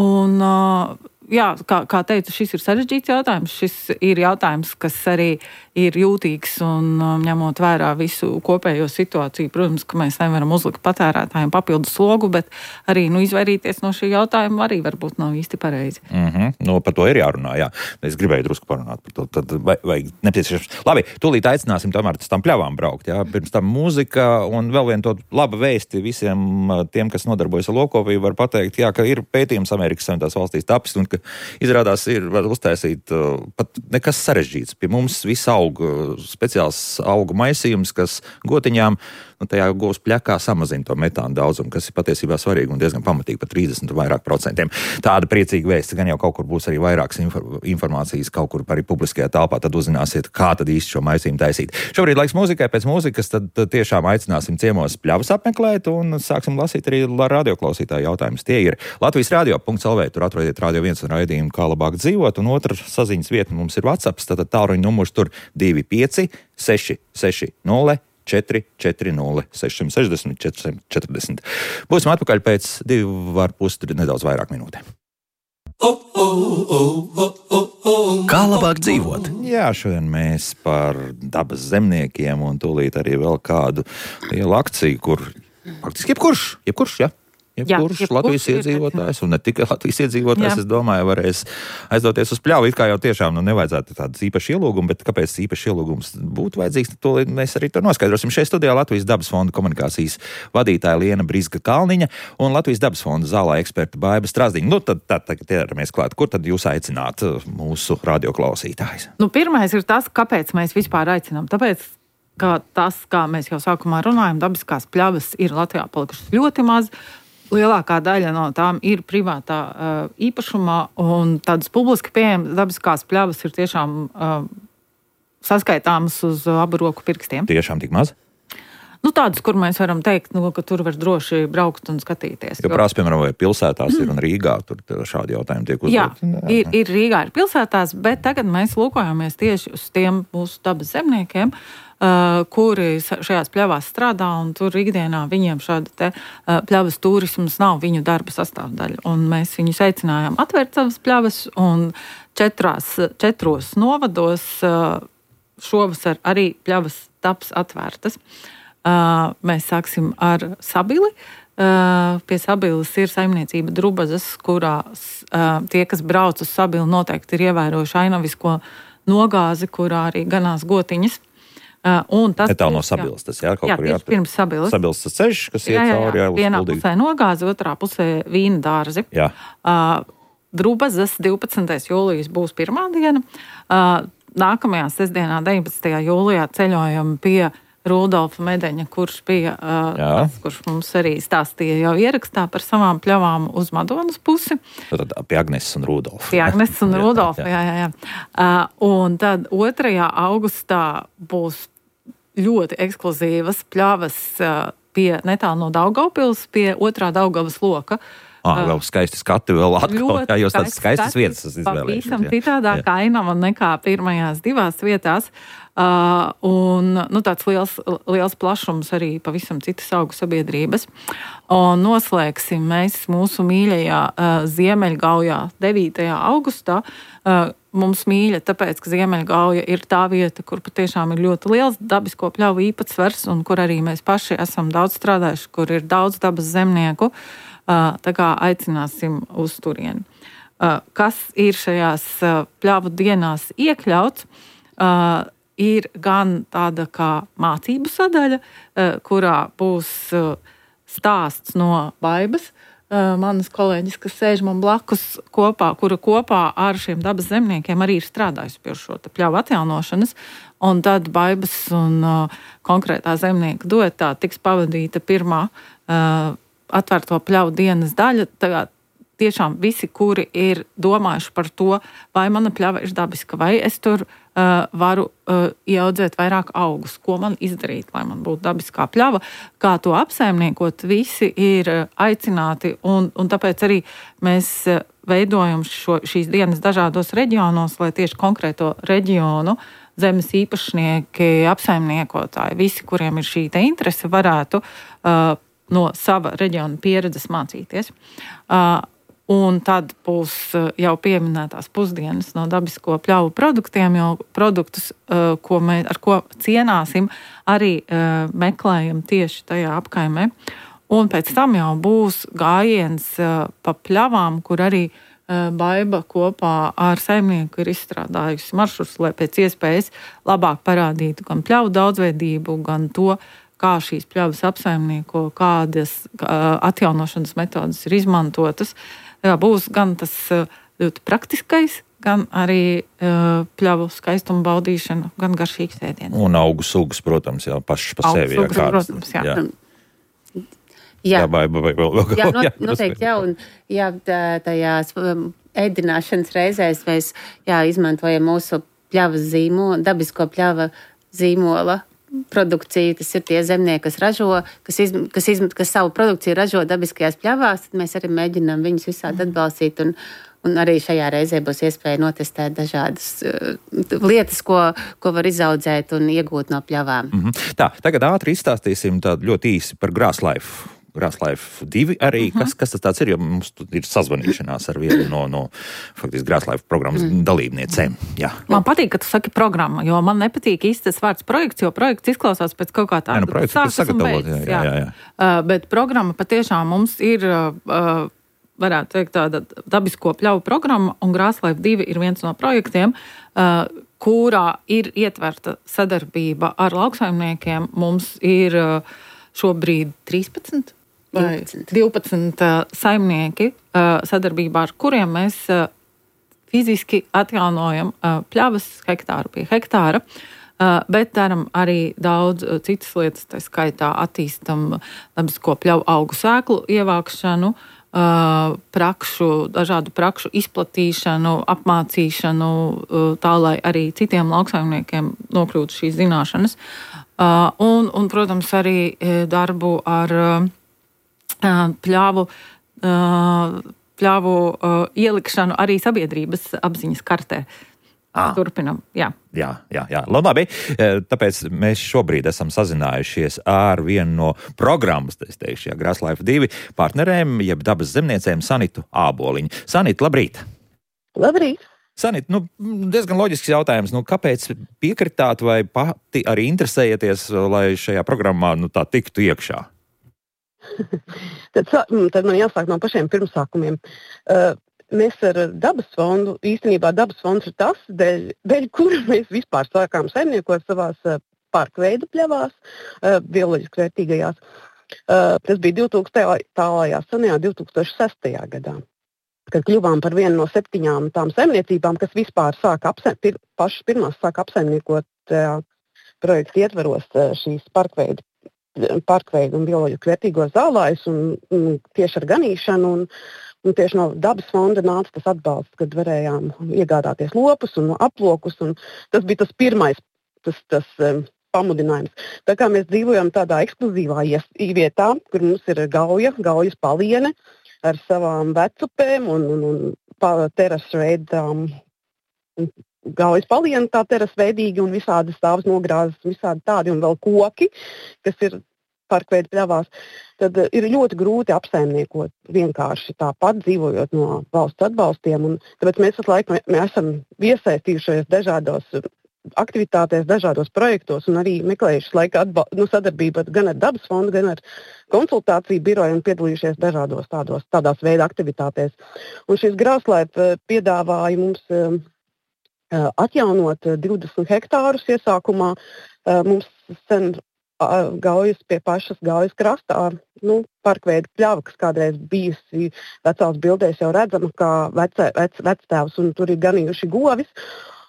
Speaker 3: Un, uh, jā, kā, kā teicu, šis ir sarežģīts jautājums. Šis ir jautājums, kas arī ir jūtīgs un um, ņemot vērā visu kopējo situāciju. Protams, ka mēs nevaram uzlikt patērētājiem papildus slogu, bet arī nu, izvairīties no šī jautājuma arī varbūt nav īsti pareizi.
Speaker 1: Mm-hmm. Nu, par to ir jārunā, jā. Es gribēju drusku parunāt par to. Tad vajag nepieciešams. Labi, tūlīt aicināsim tomēr tam pļavām braukt, jā. Pirms tam mūzika un vēl vien to laba vēsti visiem tiem, kas nodarbojas ar lopkopību, var pateikt, jā, ka ir pētījums Amerikas Savienotās valstīs tapis un ka izrādās ir var uztaisīt uh, pat nekas sarežģīts. Pie mums viss aug uh, speciāls augu maisījums, kas gotiņām, nu, tajā gūs pļakā samazina to metānu daudzumu, kas ir patiesībā svarīgi un diezgan pamatīgi par trīsdesmit un vairāk procentiem. Tāda priecīga vēsts, gan jau kaut kur būs arī vairākas infor- informācijas, kaut kur arī publiskajā telpā, tad uzzināsiet, kā tad īsti šo maisījumu taisīt. Šobrīd laiks mūzikai, pēc mūzikas tad, tad tiešām aicināsim ciemos pļavas apmeklēt un sāksim lasīt arī radioklausītāju jautājumus. Tie ir Latvijas radio punkts el vē, tur atrodiet Radio viens un raidījumu, kā labāk dzīvot, un otra saziņas vieta mums ir WhatsApp, tātad tālruņa numurs tur divi pieci seši seši nulle četri četri nulle seši šeši nulle četri četri nulle. Būsim atpakaļ pēc divu ar pus nedaudz vairāk minūtēm.
Speaker 7: Kā labāk dzīvot?
Speaker 1: Jā, šodien mēs par dabas zemniekiem un tūlīt arī vēl kādu lielu akciju, kur faktiski jebkurš, jebkurš, jā. Jebkurš
Speaker 3: jebkurš
Speaker 1: Latvijas
Speaker 3: ir,
Speaker 1: iedzīvotājs, un ne tikai Latvijas iedzīvotājs,
Speaker 3: Jā.
Speaker 1: es domāju, varēs aizdoties uz pļavu. It kā jau tiešām nu, nevajadzētu tādas īpašas ielūgumus, bet kāpēc īpašs ielūgums būtu vajadzīgs, to mēs arī to noskaidrosim. Šeit studijā Latvijas dabas fonda komunikācijas vadītāja Liena Brizga-Kalniņa un Latvijas dabas fonda zālā eksperta Baiba Strazdiņa. Nu, tad, tad tagad ķeramies klāt. Kur tad jūs aicināt mūsu radioklausītājus?
Speaker 3: Nu, pirmais ir tas, kāpēc mēs vispār aicinām. Tāpēc, ka tas, kā mēs jau sākumā runājam, dabiskās pļavas ir Latvijā palikušas ļoti maz. Lielākā daļa no tām ir privātā uh, īpašumā, un tādas publiski pieejamas dabiskās pļavas ir tiešām uh, saskaitāmas uz uh, abu roku pirkstiem.
Speaker 1: Tiešām tik maz?
Speaker 3: Nu, tādas, kur mēs varam teikt, nu, ka tur var droši braukt un skatīties.
Speaker 1: Jo prās, piemēram, vai pilsētās ir un Rīgā, tur šādi jautājumi tiek
Speaker 3: Jā,
Speaker 1: uzdot.
Speaker 3: ir, ir Rīgā, ir pilsētās, bet tagad mēs lūkojamies tieši uz tiem mūsu dabas zemniekiem, Uh, kuri šajās pļavās strādā, un tur ikdienā viņiem šāda te uh, pļavas turisms nav viņu darba sastāvdaļa. Un mēs viņus aicinājām atvērt savas pļavas, un četrās, četros novados uh, šovasar arī pļavas taps atvērtas. Uh, mēs sāksim ar Sabili. Uh, pie Sabiles ir saimniecība Drubazas, kurā uh, tie, kas brauc uz Sabili, noteikti ir ievērojuši ainavisko nogāzi, kurā arī ganās gotiņas. Un tas
Speaker 1: Netālu no Sabilstas, jā, kaut
Speaker 3: jā,
Speaker 1: kur
Speaker 3: jā, pirms Sabilstas.
Speaker 1: Sabilstas ceļš, kas iet
Speaker 3: jā, jā,
Speaker 1: cauri, jā, uz
Speaker 3: vienā
Speaker 1: Kuldīgu.
Speaker 3: pusē Nogāze, otrā pusē Vīna dārzi.
Speaker 1: Jā.
Speaker 3: Uh, Drubazas divpadsmitais jūlijas būs pirmā diena. Uh, nākamajā sestdienā, deviņpadsmitajā jūlijā, ceļojam pie Rudolfa Medeņa, kurš bija uh, tas, kurš mums arī stāstīja jau ierakstā par savām pļavām uz Madonas pusi.
Speaker 1: Tad pie Agneses un Rudolfa.
Speaker 3: Pie Agneses un Rudolfa, jā, jā, jā. Uh, un tad otrajā augustā būs ļoti ekskluzīvas pļavas uh, pie netālu no Daugavpils, pie otrā Daugavas loka.
Speaker 1: Ah, vēl skaisti skati vēl atkal, jā, jūs tādas skaistas vietas esat izvēlējušies.
Speaker 3: Pavisam citādāk ainava nekā pirmajās divās vietās. Uh, un nu, tāds liels, liels plašums arī pavisam citas augu sabiedrības. Un noslēgsim mēs mūsu mīļajā uh, Ziemeļgaujā devītajā augustā. Uh, mums mīļa, tāpēc, ka Ziemeļgauja ir tā vieta, kur patiešām ir ļoti liels dabisko pļauju īpatsvars un kur arī mēs paši esam daudz strādājuši, kur ir daudz dabas zemnieku. Uh, tā kā aicināsim uz turieni. Uh, kas ir šajās uh, pļavu dienās iekļauts? Uh, ir gan tāda kā mācību sadaļa, kurā būs stāsts no Baibas, manas kolēģis, kas sēž man blakus kopā, kura kopā ar šiem dabas zemniekiem arī ir strādājusi pie šo pļauju atjaunošanas, un tad Baibas un konkrētā zemnieka duetā tiks pavadīta pirmā atvērto pļauju dienas daļa. Tagad tiešām visi, kuri ir domājuši par to, vai mana pļava ir dabiska, vai es tur uh, varu uh, ieaudzēt vairāk augus, ko man izdarīt, lai man būtu dabiskā pļava, kā to apsaimniekot, visi ir uh, aicināti, un, un tāpēc arī mēs uh, veidojam šo, šīs dienas dažādos reģionos, lai tieši konkrēto reģionu zemes īpašnieki, apsaimniekotāji, visi, kuriem ir šī te interese, varētu uh, no sava reģiona pieredzes mācīties. Uh, Un tad būs jau pieminētās pusdienas no dabisko pļauju produktiem, jo produktus, ko mēs, ar ko cienāsim, arī meklējam tieši tajā apkaimē. Un pēc tam jau būs gājiens pa pļavām, kur arī Baiba kopā ar saimnieku ir izstrādājusi maršrutus, lai pēc iespējas labāk parādītu gan pļauju daudzveidību, gan to, kā šīs pļavas apsaimnieko, kādas atjaunošanas metodas ir izmantotas. Jā, būs gan tas ļoti praktiskais, gan arī uh, pļavu skaistumu baudīšana, gan garšīgs ēdiens.
Speaker 1: Un augu sugas, protams, jā, pašas pa sevi.
Speaker 3: Augu sugas, jā, protams, jā.
Speaker 2: Jā,
Speaker 1: jā, vai, vai, vēl, vēl,
Speaker 2: jā, not,
Speaker 1: jā
Speaker 2: noteikti, jā, un jā, tajās ēdināšanas reizēs mēs jā, izmantojam mūsu pļavas zīmola, dabisko pļava zīmola produkciju, tas ir tie zemnieki, kas ražo, kas, iz, kas, iz, kas savu produkciju ražo dabiskajās pļavās, tad mēs arī mēģinām viņus visādi atbalstīt, un, un arī šajā reizē būs iespēja notestēt dažādas uh, lietas, ko, ko var izaudzēt un iegūt no pļavām.
Speaker 1: Mm-hmm. Tā, tagad ātri izstāstīsim tādu ļoti īsi par GrassLife. GrassLife divi arī, uh-huh. kas, kas tas tāds ir, jo mums ir sazvanīšanās ar vienu no, no faktiski GrassLife programmas mm. dalībniecēm. Jā.
Speaker 3: Man patīk, ka tu saki programma, jo man nepatīk īsti tas vārds projekts, jo projekts izklausās pēc kaut kā tāda.
Speaker 1: Jā, nu projekts, kas sagatavot, jā, jā, jā, jā.
Speaker 3: Uh, bet programma patiešām mums ir, uh, varētu teikt, tāda dabisko pļauju programma, un GrassLife divi ir viens no projektiem, uh, kurā ir ietverta sadarbība ar lauksaimniekiem. Mums ir uh, šobrīd trīspadsmit vai divpadsmit uh, saimnieki, uh, sadarbībā ar kuriem mēs uh, fiziski atjaunojam uh, pļavas hektāru pie hektāra, uh, bet daram arī daudz uh, citas lietas, tā skaitā attīstam dabisko pļauju augu sēklu ievākšanu, uh, prakšu, dažādu prakšu izplatīšanu, apmācīšanu, uh, tā, lai arī citiem lauksaimniekiem nokļūtu šīs zināšanas. Uh, un, un, protams, arī darbu ar uh, pļāvu, uh, pļāvu uh, ielikšanu arī sabiedrības apziņas kartē. Ah. Turpinam, jā.
Speaker 1: Jā, jā, jā. Labi, tāpēc mēs šobrīd esam sazinājušies ar vienu no programmas, es teikšu, jā, GrassLife divi partnerēm, jeb dabas zemniecēm Sanitu Āboliņu. Sanita, labrīt!
Speaker 8: Labrīt!
Speaker 1: Sanita, nu, diezgan loģisks jautājums, nu, kāpēc piekritāt vai pati arī interesējaties, lai šajā programmā, nu, tā tiktu iekšā?
Speaker 8: tad, tad man jāsāk no pašiem pirmsākumiem. Uh, mēs ar dabas fondu, īstenībā dabas fonds ir tas, dēļ, dēļ kura mēs vispār sākām saimniekot savās uh, parkveidu pļavās, bioloģiski vērtīgajās. Tas bija divtūkstošajā senajā divtūkstoš sestajā gadā, kad kļuvām par vienu no septiņām tām saimniecībām, kas vispār sāka apsaim, pir, pašas pirmās sāka apsaimniekot uh, projektu ietvaros uh, šīs parkveidu, parkveidu un bioloģiski vērtīgos zālājus un, un tieši ar ganīšanu. Un, un tieši no dabas fonda nāca tas atbalsts, kad varējām iegādāties lopus un aplokus. Un tas bija tas pirmais tas, tas, um, pamudinājums. Tā kā mēs dzīvojam tādā ekskluzīvā vietā, kur mums ir gauja, gaujas paliene ar savām vecupēm un, un, un terasu veidām. Gaujas paliene tā terasu veidīgi un visādi stāvs nogrāzes, visādi tādi un vēl koki, kas ir parkveidu pļavās. Tad ir ļoti grūti apsaimniekot vienkārši tāpat dzīvojot no valsts atbalstiem. Un tāpēc mēs visu laiku mēs esam iesaistījušies dažādos aktivitātēs, dažādos projektos un arī meklējuši laika atbal- nu, sadarbību gan ar dabas fondu, gan ar konsultāciju biroju un piedalījušies dažādos tādos, tādās veida aktivitātēs. Un šis Grāslaipa piedāvāja mums uh, atjaunot divdesmit hektārus iesākumā. Uh, mums sen uh, gaujas pie pašas gaujas krastā, nu, parkveidu pļava, kas kādreiz bijusi vecās bildēs jau redzama, kā vecē, vec, vectēvs un tur ir ganījuši govis.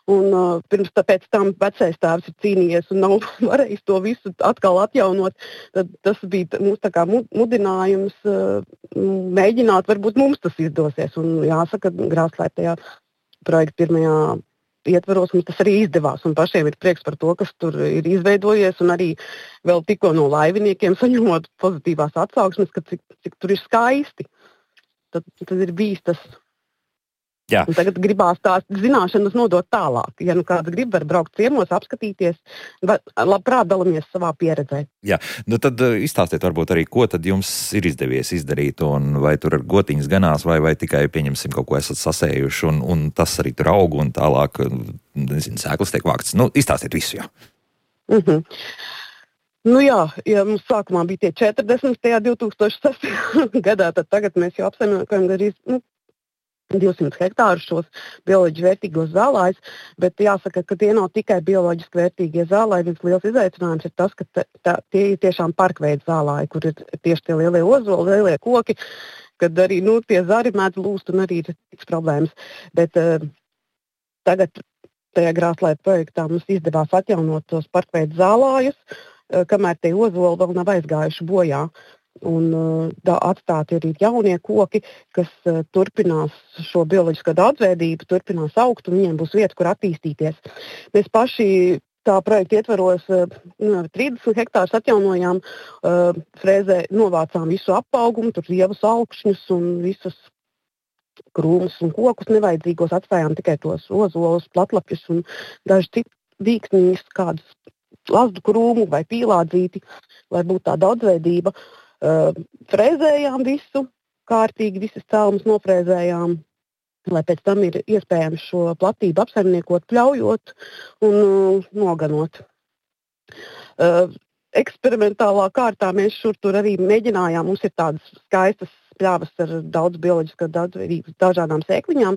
Speaker 8: Un uh, pirms tāpēc tam vecais tēvs ir cīnījies un nav varējis to visu atkal atjaunot. Tad tas bija mums tā kā mudinājums uh, mēģināt, varbūt mums tas izdosies. Un jāsaka, Grāslaipa tajā projekta pirmajā ietvaros mums tas arī izdevās. Un pašiem ir prieks par to, kas tur ir izveidojies. Un arī vēl tikko no laiviniekiem saņemot pozitīvās atsauksmes, ka cik, cik tur ir skaisti. Tad, tad ir bijis tas.
Speaker 1: Jā.
Speaker 8: Un tagad gribās tās zināšanas nodot tālāk. Ja nu kāds grib, var braukt ciemos, apskatīties, labprāt dalamies savā pieredzē.
Speaker 1: Jā, nu tad izstāstiet varbūt arī, ko tad jums ir izdevies izdarīt, un vai tur ar gotiņas ganās, vai, vai tikai pieņemsim kaut ko esat sasējuši, un, un tas arī tur aug, un tālāk, nezinu, sēklas tiek vāktas. Nu, izstāstiet visu, jā.
Speaker 8: Mhm. Nu jā, ja mums sākumā bija tie četrdesmit tajā divtūkstoš sestajā gadā, tad tagad mēs jau apsaimniekojam arī, nu, divsimt hektārus šos bioloģiski vērtīgos zālājus, bet jāsaka, ka tie nav tikai bioloģiski vērtīgie zālāji. Viens liels izaicinājums ir tas, ka tā, tā, tie ir tiešām parkveidu zālāji, kur ir tieši tie lielie ozoli, lielie koki, kad arī nu, tie zari mēdz lūst un arī ir tiks problēmas. Bet uh, tagad tajā Grāslaipa projektā mums izdevās atjaunot tos parkveidu zālājus, uh, kamēr tie ozoli vēl nav aizgājuši bojā. Un uh, atstāti arī jaunie koki, kas uh, turpinās šo bioloģisko daudzveidību, turpinās augt un viņiem būs vieta, kur attīstīties. Mēs paši tā projekta ietvaros uh, trīsdesmit hektārus atjaunojām, uh, frēzē novācām visu apaugumu, tur lievus augšņus un visus krūmus un kokus nevajadzīgos, atstājām tikai tos ozolus, platlapjus un daži citu dīksniņus, kādus lazdu krūmu vai pīlādzīti, lai būtu tā daudzveidība. Uh, frēzējām visu, kārtīgi visas cēlumus nofrēzējām, lai pēc tam ir iespējams šo platību apsaimniekot, pļaujot un uh, noganot. Uh, eksperimentālā kārtā mēs šur tur arī mēģinājām, mums ir tādas skaistas pļavas ar daudz bioloģiskā daudzveidības dažādām sēkliņām.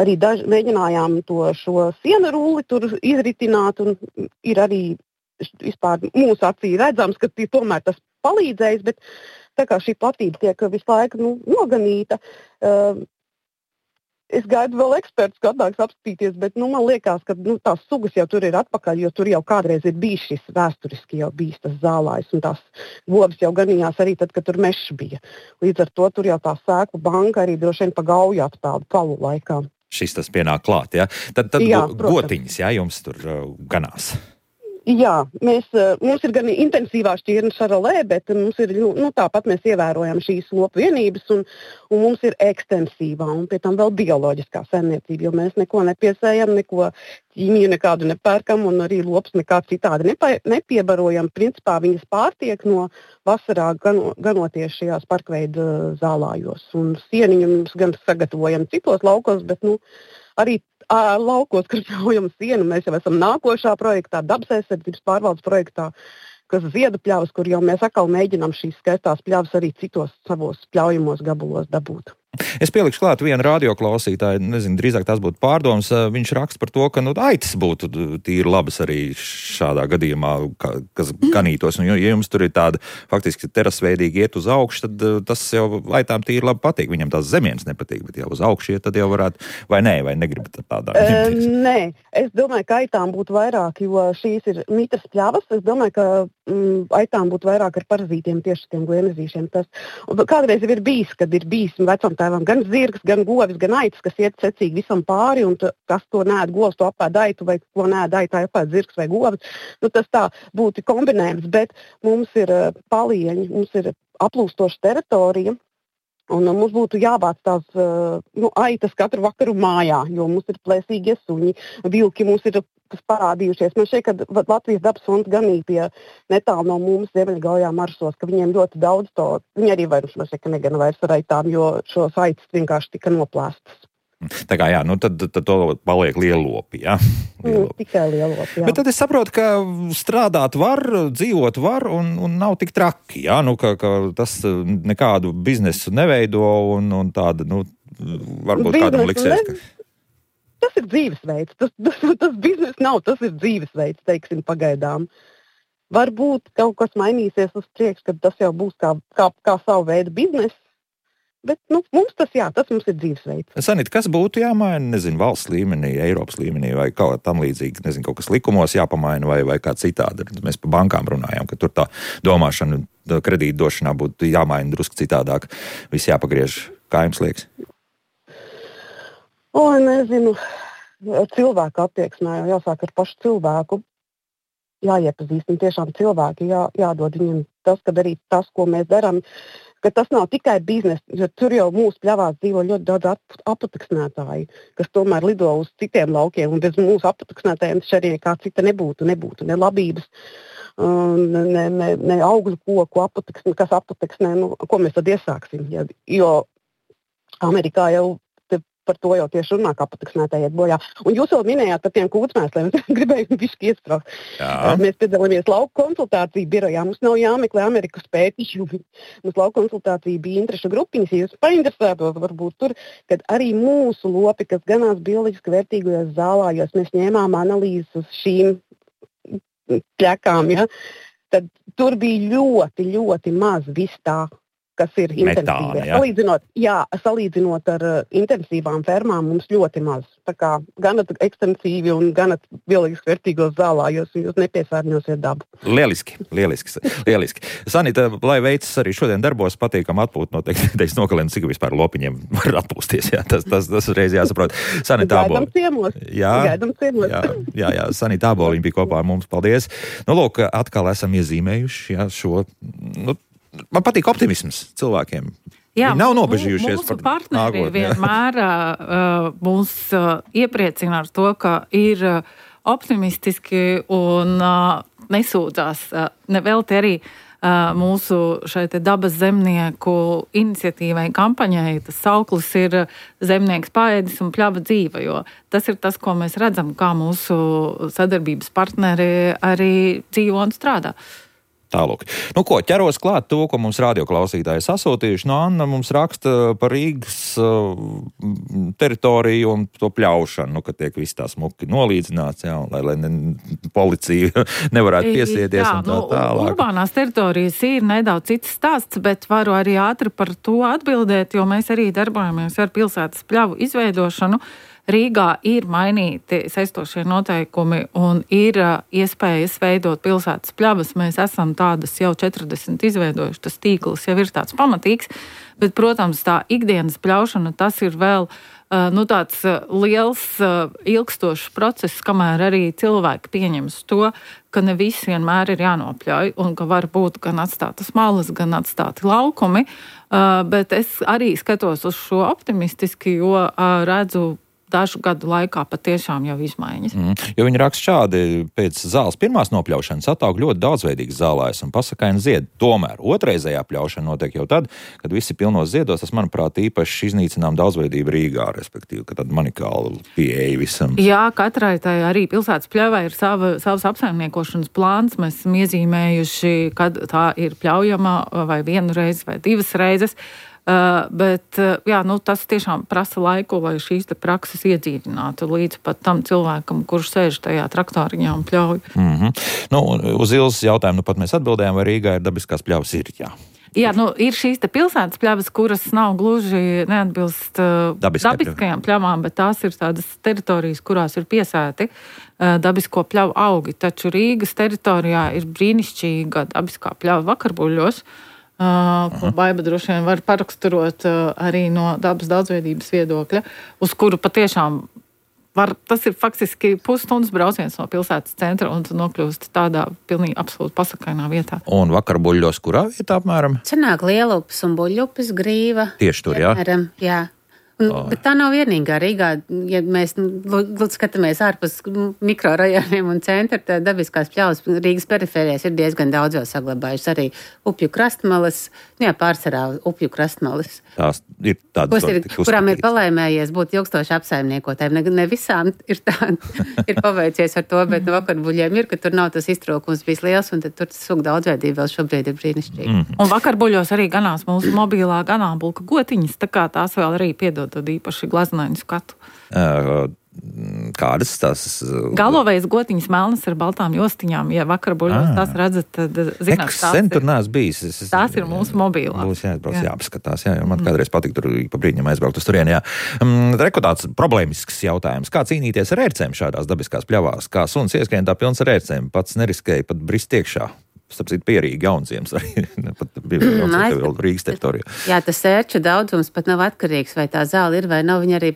Speaker 8: Arī daž, mēģinājām to šo sienu rulli tur izritināt un ir arī vispār mūsu acī redzams, ka tomēr tas palīdzējis, bet tā kā šī platība tiek visu laiku nu, noganīta, uh, es gaidu vēl ekspertus, kad nāks apskatīties, bet nu, man liekas, ka nu, tās sugas jau tur ir atpakaļ, jo tur jau kādreiz ir bijis šis vēsturiski jau bijis tas zālājs, un tās govs jau ganījās arī tad, kad tur mešs bija. Līdz ar to tur jau tā sēklu banka arī droši vien pa gauju aptādu palu laikā.
Speaker 1: Šis tas pienāk klāt, jā? Tad, tad
Speaker 8: jā,
Speaker 1: gotiņas, jā, jums tur uh, ganās.
Speaker 8: Jā, mēs, mums ir gan intensīvā šķirne šarolē, bet mums ir, nu, tāpat mēs ievērojam šīs lopu vienības un, un mums ir ekstensīvā un pie tam vēl bioloģiskā saimniecība, jo mēs neko nepiesējam, neko ķīmiju nekādu nepērkam un arī lops nekā citādi nepie, nepiebarojam. Principā viņas pārtiek no vasarā gano, ganoties šajās parkveidu zālājos. Un sieniņu mums gan sagatavojam citos laukos, bet nu, arī Ā, laukos, kur pļaujam sienu, mēs jau esam nākošā projektā, dabas aizsardzības pārvaldes projektā, kas ziedu pļavas, kur jau mēs atkal mēģinām šīs skaistās pļavas arī citos savos pļaujamos gabalos dabūt.
Speaker 1: Es pielikšu klāt vienu radioklausītāju, nezinu, drīzāk tās būtu pārdomas. Viņš raksta par to, ka nu, aitas būtu tīri labas arī šādā gadījumā, kas ganītos. Un, ja jums tur ir tāda faktiski terasveidīgi iet uz augšu, tad tas jau aitām tīri labi patīk. Viņam tās zemienes nepatīk, bet jau uz augšu iet, tad jau varētu, vai nē, vai negribat tādā.
Speaker 8: Uh, nē, es domāju, ka aitām būtu vairāk, jo šīs ir mitras pļavas. Es domāju, ka mm, aitām būtu vairāk ar parazītiem, tieši tiem gliemezīšiem. Tas, kādreiz jau ir bijis, kad ir bijis vecam tēvam gan zirgs, gan govis, gan aitas, kas iet secīgi visam pāri, un t- kas to nēd govs, to apēd aitu, vai ko nēd aitā, apēd zirgs vai govis. Nu, tas tā būtu kombinējums, bet mums ir uh, palieņi, mums ir aplūstoša teritorija, un uh, mums būtu jābāc tās uh, nu, aitas katru vakaru mājā, jo mums ir plēsīgie suņi, vilki mums ir kas parādījušies. Man šeit, kad Latvijas dabas fonds ganīja pie netālu no mums Ziemeļgaujā marsos, ka viņiem ļoti daudz to, viņi arī vairs, man šeit, ka negana vairs ar aitām, jo šos aitas vienkārši tika noplēstas.
Speaker 1: Tā kā jā, nu tad, tad to paliek lielopi, jā?
Speaker 8: Mm, tikai lielopi, jā.
Speaker 1: Bet tad es saprotu, ka strādāt var, dzīvot var un, un nav tik traki, jā? Nu, ka, ka tas nekādu biznesu neveido un, un tāda, nu, varbūt
Speaker 8: Biznesu
Speaker 1: kādam liksies, ka...
Speaker 8: Tas ir dzīvesveids. Tas, tas, tas biznes nav, tas ir dzīvesveids, teiksim, pagaidām. Varbūt kaut kas mainīsies uz priekšu, kad tas jau būs kā, kā, kā savu veidu biznes. Bet nu, mums tas, jā, tas mums ir dzīvesveids.
Speaker 1: Sanita, kas būtu jāmaina, nezinu, valsts līmenī, Eiropas līmenī vai kaut tam līdzīgi, nezinu, kaut kas likumos jāpamaina vai, vai kā citādi. Mēs par bankām runājām, ka tur tā domāšana kredītu došanā būtu jāmaina drusku citādāk. Viss jāpagriež, kā jums liekas?
Speaker 8: O, nezinu, cilvēku attieksmē jau jāsāk ar pašu cilvēku. Jāiepazīst, un tiešām cilvēki jā, jādod viņiem tas, ka darīt tas, ko mēs darām, ka tas nav tikai biznes, jo tur jau mūsu pļavās dzīvo ļoti daudz ap, apateksnētāji, kas tomēr lido uz citiem laukiem, un bez mūsu apateksnētājiem šeit kā cita nebūtu, nebūtu ne labības, ne, ne, ne augļu koku, apateksnē, kas apateksnē, nu, ko mēs tad iesāksim, ja, jo Amerikā jau par to jau tieši runā, kā pateksnētāji iet bojā. Un jūs jau minējāt par tiem kūtsmēsliem, es gribēju bišķi iestraukt. Mēs piedalāmies lauku konsultāciju birojā, mums nav jāmeklē Amerikas pētījumi. Mums lauku konsultācija bija interešu grupiņas, ja jūs painteresētos varbūt tur, kad arī mūsu lopi, kas ganās bioloģiski vērtīgajos zālājos, mēs ņēmām analīzes uz šīm pļakām, ja? Tad tur bija ļoti, ļoti maz viss tā, kas ir intensīvie. Salīdzinot, jā, salīdzinot ar uh, intensīvām fermām, mums ļoti maz. Tā kā gan ekstensīvi un gan bioloģiski vērtīgos zālājos, un jūs nepiesārņosiet dabu.
Speaker 1: Lieliski, lieliski, lieliski. Sanita, lai veicas arī šodien darbos, patīkam atpūt noteikti, teiks nokalēm, cik vispār lopiņiem var atpūsties, jā, tas, tas, tas reiz jāsaprot. Sanita Āboliņa.
Speaker 8: Gaidam ciemos.
Speaker 1: Jā,
Speaker 8: Gaidam ciemos.
Speaker 1: jā, jā, jā, Sanita Āboliņa bija kopā ar mums, paldies. Nu, lūk, atkal esam iezīmējuši, jā, šo, nu, man patīk optimisms cilvēkiem.
Speaker 3: Jā,
Speaker 1: Viņi nav nobežījušies
Speaker 3: mūsu
Speaker 1: par
Speaker 3: partneri
Speaker 1: nākotni,
Speaker 3: vienmēr uh, mūs uh, iepriecina ar to, ka ir uh, optimistiski un uh, nesūdzās. Uh, nevelti arī uh, mūsu šeit dabas zemnieku iniciatīvai, kampaņai. Tas sauklis ir zemnieks paēdis un pļava dzīva, jo tas ir tas, ko mēs redzam, kā mūsu sadarbības partneri arī dzīvo un strādā.
Speaker 1: Tālūk. Nu ko, ķeros klāt to, ko mums radioklausītāji sasūtījuši. No Anna mums raksta par Rīgas uh, teritoriju un to pļaušanu, nu, ka tiek viss tā smuki nolīdzināts, jā, lai, lai ne, policija nevarētu piesieties
Speaker 3: jā,
Speaker 1: un tā
Speaker 3: nu,
Speaker 1: tālāk.
Speaker 3: Urbānās teritorijas ir nedaudz cits stāsts, bet varu arī ātri par to atbildēt, jo mēs arī darbojamies ar pilsētas pļavu izveidošanu. Rīgā ir mainīti saistošie noteikumi un ir uh, iespējas veidot pilsētas pļavas. Mēs esam tādas jau četrdesmit izveidojuši, tas tīkls jau ir tāds pamatīgs, bet, protams, tā ikdienas pļaušana, tas ir vēl uh, nu, tāds uh, liels, uh, ilgstošs process, kamēr arī cilvēki pieņems to, ka ne visi vienmēr ir jānopļauj un ka var būt gan atstātas malas, gan atstāti laukumi, uh, bet es arī skatos uz šo optimistiski, jo uh, redzu dažu gadu laikā patiešām jau izmaiņas.
Speaker 1: Mm, jo viņi raksta šādi, pēc zāles pirmās nopļaušanas attaug ļoti daudzveidīgs zālājs un pasakaini zied. Tomēr otrreizējā pļaušana notiek jau tad, kad visi pilnos ziedos, tas, manuprāt, īpaši iznīcinām daudzveidību Rīgā, respektīvi, ka tad manikāli pieeja visam.
Speaker 3: Jā, katrai tai arī pilsētas pļavai ir sava, savs apsaimniekošanas plāns. Mēs esam iezīmējuši, kad tā ir pļaujama vai vienu reizi vai divas reizes. Uh, bet uh, jā, nu, tas tiešām prasa laiku, lai šīs te prakses iedzīvinātu līdz pat tam cilvēkam, kurš sēž tajā traktoriņā un pļauj.
Speaker 1: Mm-hmm. Nu, uz Ilzas jautājumu nu pat mēs atbildējām, vai Rīgā ir dabiskās pļavas? Ir, jā.
Speaker 3: Jā, nu, ir šīs te pilsētas pļavas, kuras nav gluži neatbilst uh, dabiskajām pļavām, bet tās ir tādas teritorijas, kurās ir piesēti uh, dabisko pļavu augi. Taču Rīgas teritorijā ir brīnišķīga dabiskā pļava Vakarbuļļos, uh, ko Baiba droši vien var paraksturot uh, arī no dabas daudzveidības viedokļa, uz kuru patiešām var, tas ir faktiski pusstundas brauciens no pilsētas centra un tu nokļūst tādā pilnīgi absolūti pasakainā vietā.
Speaker 1: Un Vakarbuļļos kurā vietā apmēram?
Speaker 2: Senāk Lielupes un Buļļupes grīva.
Speaker 1: Tieši tur, jā?
Speaker 2: Piemēram, jā. Un, oh. Bet tā nav vienīgā Rīgā. Ja mēs lūdzu skatāmies ārpus mikrorajoniem un centra, tad dabiskās pļavas Rīgas perifērijās ir diezgan daudz vēl saglabājušas. Arī upju krastmalas, jā, pārsvarā upju krastmalas.
Speaker 1: Tās ir tādas,
Speaker 2: ir, kurām ir palaimējies būt ilgstoši apsaimniekotājiem. Ne, ne visām ir, tā, ir paveicies ar to, bet no Vakarbuļļiem ir, ka tur nav tas iztrūkums bijis liels, un tad tur tas sugu daudzveidība vēl šobrīd ir brīnišķīga. Mm.
Speaker 3: Un Vakarbuļļos arī ganās mūsu mobilā ganāmpulka gotiņas, tā kā tās vēl arī piedod tad īpaši glaznainu skatu.
Speaker 1: Uh, kādas tās?
Speaker 3: Galovējas gotiņas melnas ar baltām jostiņām. Ja Vakarbuļļos tās redzat, tad zināt,
Speaker 1: tās sen tur nās bijis. Es, es,
Speaker 3: tās ir mūsu mobilās.
Speaker 1: Būs jāatbrauc, jā. jāapskatās. Jā, man mm. kādreiz patīk tur pa brīdņam aizbraukt uz turieni. Jā. Um, Reku tāds problēmisks jautājums. Kā cīnīties ar ērcēm šādās dabiskās pļavās? Kā suns ieskrien tā pilns ar ērcēm? Pats neriskēja pat brist iekšā. Starp citu, pierīgi Jaunziems arī, pat bija vēl Rīgas teritorijā.
Speaker 2: Jā, tas ērču daudzums pat nav atkarīgs, vai tā zāle ir vai nav. Viņa arī,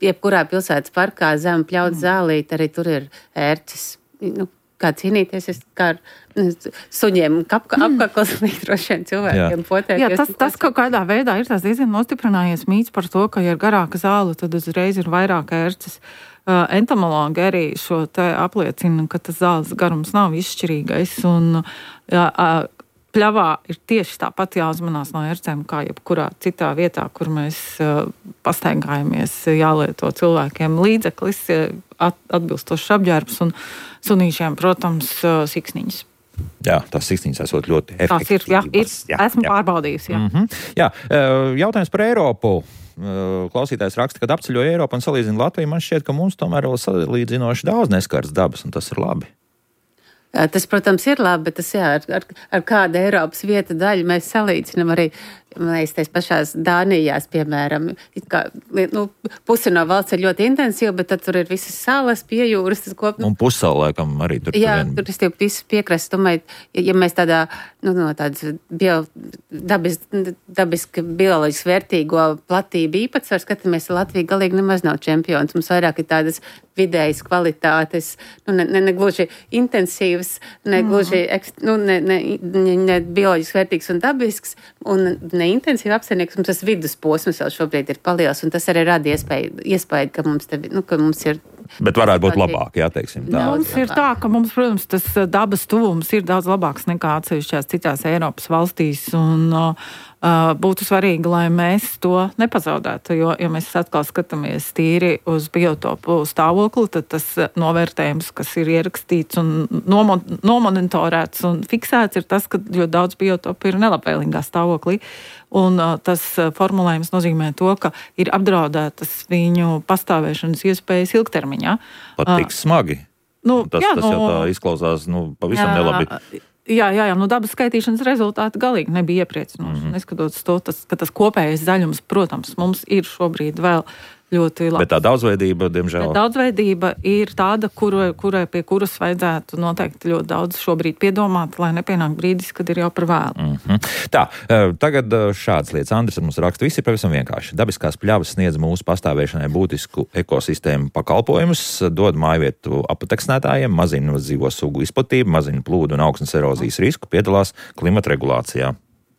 Speaker 2: jebkurā pilsētas parkā zem pļaut zālīt, arī tur ir ērces. Nu, kā cīnīties, es kā ar suņiem apka, apkakls droši vien cilvēkiem potēties.
Speaker 3: Jā, tas, tas kaut kādā veidā ir tās diezgan nostiprinājies mīts par to, ka, ja ir garāka zāle, tad uzreiz ir vairāk ērces. Uh, entomologi arī šo te apliecina, ka tas zāles garums nav izšķirīgais, un jā, uh, pļavā ir tieši tāpat jāuzmanās no ērcēm, kā jebkurā citā vietā, kur mēs uh, pastaigājamies, jālieto cilvēkiem līdzeklis, at, atbilstošs apģērbs, un sunīšiem, protams, uh, siksniņas.
Speaker 1: Jā, tās siksniņas esot ļoti efektīvas.
Speaker 3: Tās ir, jā, ir, jā, esmu jā. pārbaudījusi, jā.
Speaker 1: Mm-hmm. Jā, jautājums par Eiropu. Klausītājs raksta, kad apceļoja Eiropu un salīdzina Latviju, man šķiet, ka mums tomēr vēl salīdzinoši daudz neskarts dabas, un tas ir labi.
Speaker 2: Jā, tas, protams, ir labi, bet tas, jā, ar, ar, ar kādu Eiropas vietu daļu mēs salīdzinām arī, man liekas, tais pašās Dānijās, piemēram, kā, nu, pusi no valsts ir ļoti intensīva, bet tad tur ir visas salas, pie jūras. Kop...
Speaker 1: Un pussalu, laikam, arī tur.
Speaker 2: Jā,
Speaker 1: vien...
Speaker 2: tur ir visu piekrasts. Domāju, ja mēs tādā, nu, no tādas bio, dabis, dabiski bioloģiski vērtīgo platību īpatsvaru skatāmies, Latvija galīgi nemaz nav čempions. Mums vairāk ir tādas vidējas kvalitātes, nu, ne, ne, ne gluži intensīvas, ne gluži, mm. nu, ne, ne, ne, ne bioloģiski vērtīgs un dabisks, un ne intensīvi apsaimnieks, mums tas vidusposms vēl šobrīd ir paliels, un tas arī rada iespēju, iespēju ka, mums te, nu, ka mums ir...
Speaker 1: Bet varētu būt labāk, jā, teiksim tā.
Speaker 3: Mums ir tā, ka mums, protams, tas dabas tuvums ir daudz labāks nekā atsevišķās citās Eiropas valstīs, un uh, būtu svarīgi, lai mēs to nepazaudētu, jo, ja mēs atkal skatāmies tīri uz biotopu stāvokli, tad tas novērtējums, kas ir ierakstīts un nomon, nomonitorēts un fiksēts, ir tas, ka ļoti daudz biotopu ir nelabvēlīgā stāvoklī. Un uh, tas formulējums nozīmē to, ka ir apdraudētas viņu pastāvēšanas iespējas ilgtermiņā.
Speaker 1: Pat tik smagi.
Speaker 3: Nu,
Speaker 1: tas,
Speaker 3: jā,
Speaker 1: tas
Speaker 3: nu,
Speaker 1: jau tā izklausās nu, pavisam jā, nelabi.
Speaker 3: Jā, jā, jā, nu dabas skaitīšanas rezultāti galīgi nebija iepriecinoši. Mm-hmm. Neskatoties to, tas, ka tas kopējais zaļums, protams, mums ir šobrīd vēl ļoti labi.
Speaker 1: Bet tā daudzveidība, diemžēl.
Speaker 3: Bet daudzveidība ir tāda, kuru, kurai pie kuras vajadzētu noteikti ļoti daudz šobrīd piedomāt, lai nepienāk brīdis, kad ir jau par vēlu.
Speaker 1: Mm-hmm. Tā, tagad šādas lietas. Andris mums raksta, viss ir pavisam vienkārši. Dabiskās pļavas sniedz mūsu pastāvēšanai būtisku ekosistēmu pakalpojumus, dod mājvietu apateksnētājiem, mazina dzīvo sugu izplatību, mazina plūdu un augsnes erozijas risku, piedalās klimata regulācijā.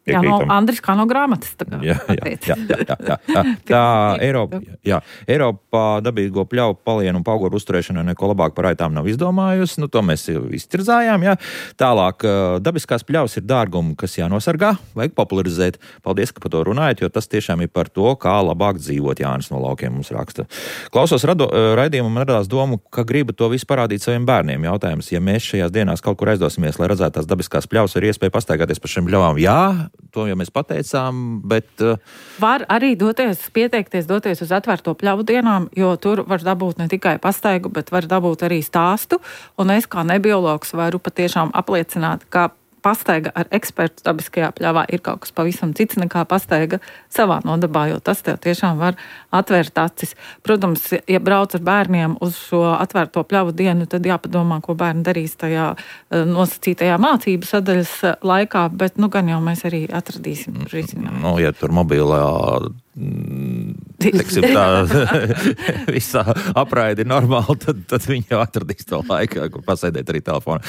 Speaker 3: Jā, no Andris kā no grāmatas. Tā,
Speaker 1: jā, jā, jā, jā, jā, jā, jā. Tā Eiropa, jā, Eiropā dabīgo pļauju palienu un paugoru uzturēšanu neko labāk par aitām nav izdomājusi. Nu, to mēs jau iztirzājām. Jā. Tālāk, dabiskās pļavas ir dārgumi, kas jānosargā, vajag popularizēt. Paldies, ka par to runājat, jo tas tiešām ir par to, kā labāk dzīvot. Jānis no Laukiem mums raksta. Klausos rado, raidījumu, man radās domu, ka griba to visu parādīt saviem bērniem. Jautājums, ja mēs šajās dienās kaut kur aizdosimies, lai redzētu tās dabiskās pļavas, ir iespēja pastaigāties par šiem pļavām. Jā, to jau mēs pateicām, bet...
Speaker 3: Var arī doties, pieteikties, doties uz atvērto pļavu dienām, jo tur var dabūt ne tikai pastaigu, bet var dabūt arī stāstu, un es kā nebiologs varu patiešām apliecināt, ka pastaiga ar ekspertu dabiskajā pļavā ir kaut kas pavisam cits nekā pastaiga savā nodabā, jo tas tev tiešām var atvērt acis. Protams, ja brauc ar bērniem uz šo atvērto pļavu dienu, tad jāpadomā, ko bērni darīs tajā nosacītajā mācību sadaļas laikā, bet nu gan jau mēs arī atradīsim risinājumu.
Speaker 1: Nu, ja tur mobilā teiksim tā, visā apraide ir normāli, tad, tad viņi jau atradīs to laiku, kur pasēdēt arī telefonā.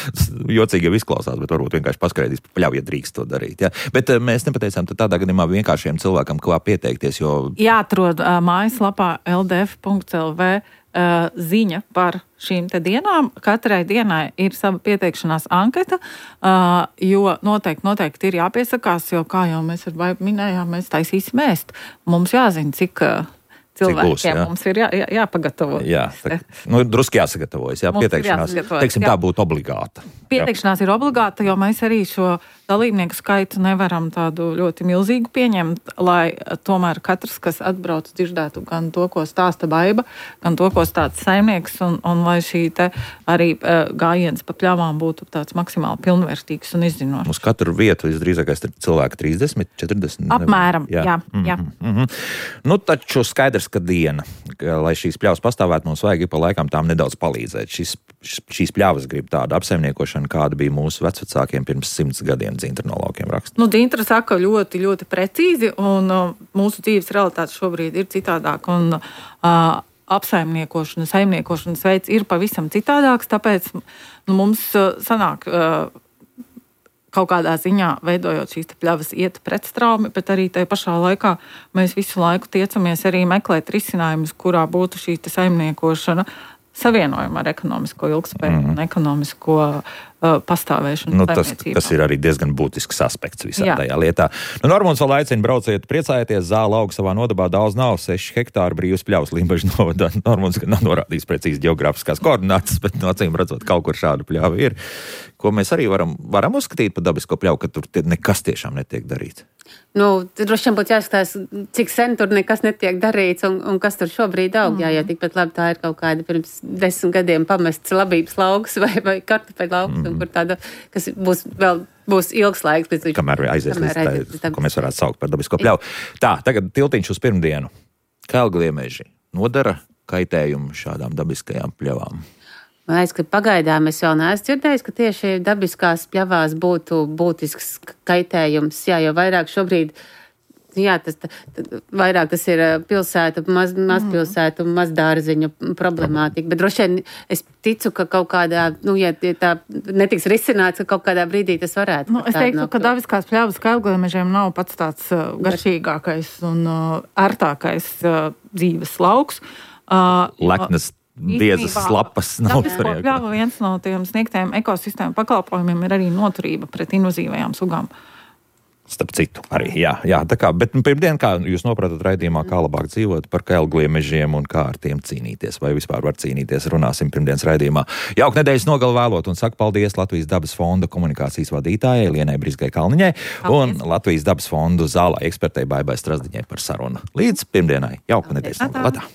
Speaker 1: Jocīgi jau izklausās, bet varbūt vienkārši paskaidrīs pa pļauju, ja drīkst to darīt. Ja? Bet mēs nepateicām, tad tādā gadījumā vienkāršiem cilvēkam, kā pieteikties, jo...
Speaker 3: Jāatrod uh, mājaslapā l d f punkt l v uh, ziņa par šīm te dienām. Katrai dienai ir sava pieteikšanās anketa, uh, jo noteikti, noteikti ir jāpiesakās, jo, kā jau mēs ar Baibu minējām, mēs taisīsim ēst. Mums jāzina, cik... Uh, cilvēkiem būs, jā. Mums ir jā, jā, jāpagatavo.
Speaker 1: Jā, tā, nu, druski jāsagatavojas, jā, pieteikšanās, teiksim, jā. Tā būtu obligāta.
Speaker 3: Pieteikšanās jā. Ir obligāta, jo mēs arī šo dalībnieku skaitu nevaram tādu ļoti milzīgu pieņemt, lai tomēr katrs, kas atbrauc, dzirdētu gan to, ko stāsta Baiba, gan to, ko stāsta saimnieks, un, un lai šī te arī uh, gājiens pa pļavām būtu tāds maksimāli pilnvērtīgs un izzinošs.
Speaker 1: Uz katru vietu visdrīzākais cilvēku trīsdesmit, četrdesmit?
Speaker 3: Apmēram, jā. jā, jā.
Speaker 1: Mm-hmm, mm-hmm. Nu, taču skaidrs, ka diena, ka, lai šīs pļavas pastāvētu, mums vajag pa laikam tām nedaudz palīdzēt. Šis, šīs pļavas grib tādu apsaimniekošanu, kāda bija mūsu vecvecākiem pirms simts gadiem, Dzintra no laukiem raksta.
Speaker 3: Nu, Dzintra saka ļoti, ļoti precīzi, un uh, mūsu dzīves realitāte šobrīd ir citādāk, un uh, apsaimniekošana, saimniekošanas veids ir pavisam citādāks, tāpēc nu, mums uh, sanāk... Uh, kaut kādā ziņā veidojot šīs pļavas iet pretstraumi, bet arī tajā pašā laikā mēs visu laiku tiecamies arī meklēt risinājumus, kurā būtu šī saimniekošana savienojuma ar ekonomisko ilgspēju mm. un ekonomisko uh, pastāvēšanu.
Speaker 1: Nu, tas, tas ir arī diezgan būtisks aspekts visā Jā. Tajā lietā. Nu, Normons vēl aicina brauciet, priecājieties, zāle auga savā nodabā daudz nav, seši hektāri brīvas pļavas Limbažu novadā. Normons gan nav norādījis precīzi geogrāfiskās koordinātas, bet no acīm redzot, kaut kur šāda pļava ir, ko mēs arī varam, varam uzskatīt par dabisko pļavu, ka tur tie, nekas tiešām netiek darīts.
Speaker 2: Nu, droši vien būtu jāskatās, cik sen tur nekas netiek darīts un, un kas tur šobrīd aug. Mm. Jā, ja tikpat labi tā ir kaut kāda pirms desmit gadiem pamests labības lauks vai, vai kartupeļu lauks, mm. un kur tāda, kas būs vēl būs ilgs laiks. Pēc,
Speaker 1: kamēr aizies līdz tā, tā, ko mēs varētu saukt par dabisko pļauju. Tā, tagad tiltiņš uz pirmdienu. Kalgliemeži nodara kaitējumu šādām dabiskajām pļavām.
Speaker 2: Man liekas, ka pagaidām es vēl neesmu dzirdējis, ka tieši dabiskās pļavās būtu būtisks kaitējums. Jā, jo vairāk šobrīd, jā, tas, tā, vairāk tas ir pilsētu, maz, mazpilsētu, mazdārziņu problemātika. Bet droši vien es ticu, ka kaut kādā, nu, ja tā netiks risināts, ka kaut kādā brīdī tas varētu.
Speaker 3: Nu, es teiktu, ka dabiskās pļavas Kalgliemežiem nav pats tāds uh, garšīgākais un uh, ērtākais uh, dzīves lauks. Uh,
Speaker 1: Leknas diezas lapas nav svarīga.
Speaker 3: Pļava viens no tiem sniegtiem ekosistēmu pakalpojumiem ir arī noturība pret invazīvajām sugām.
Speaker 1: Starp citu arī, jā, jā, tā kā, bet pirmdien, kā jūs nopratat raidījumā, kā labāk dzīvot par Kalgliemežiem un kā ar tiem cīnīties, vai vispār var cīnīties, runāsim pirmdienas raidījumā. Jauku nedēļas nogalu vēlot un saku paldies Latvijas dabas fonda komunikācijas vadītājai Lienai Brizgai Kalniņai un Latvijas dabas fondu zālē ekspertei Baibai Strazdiņai par sarunu. Līdz pirmdienai, jauku nedēļas nogalu.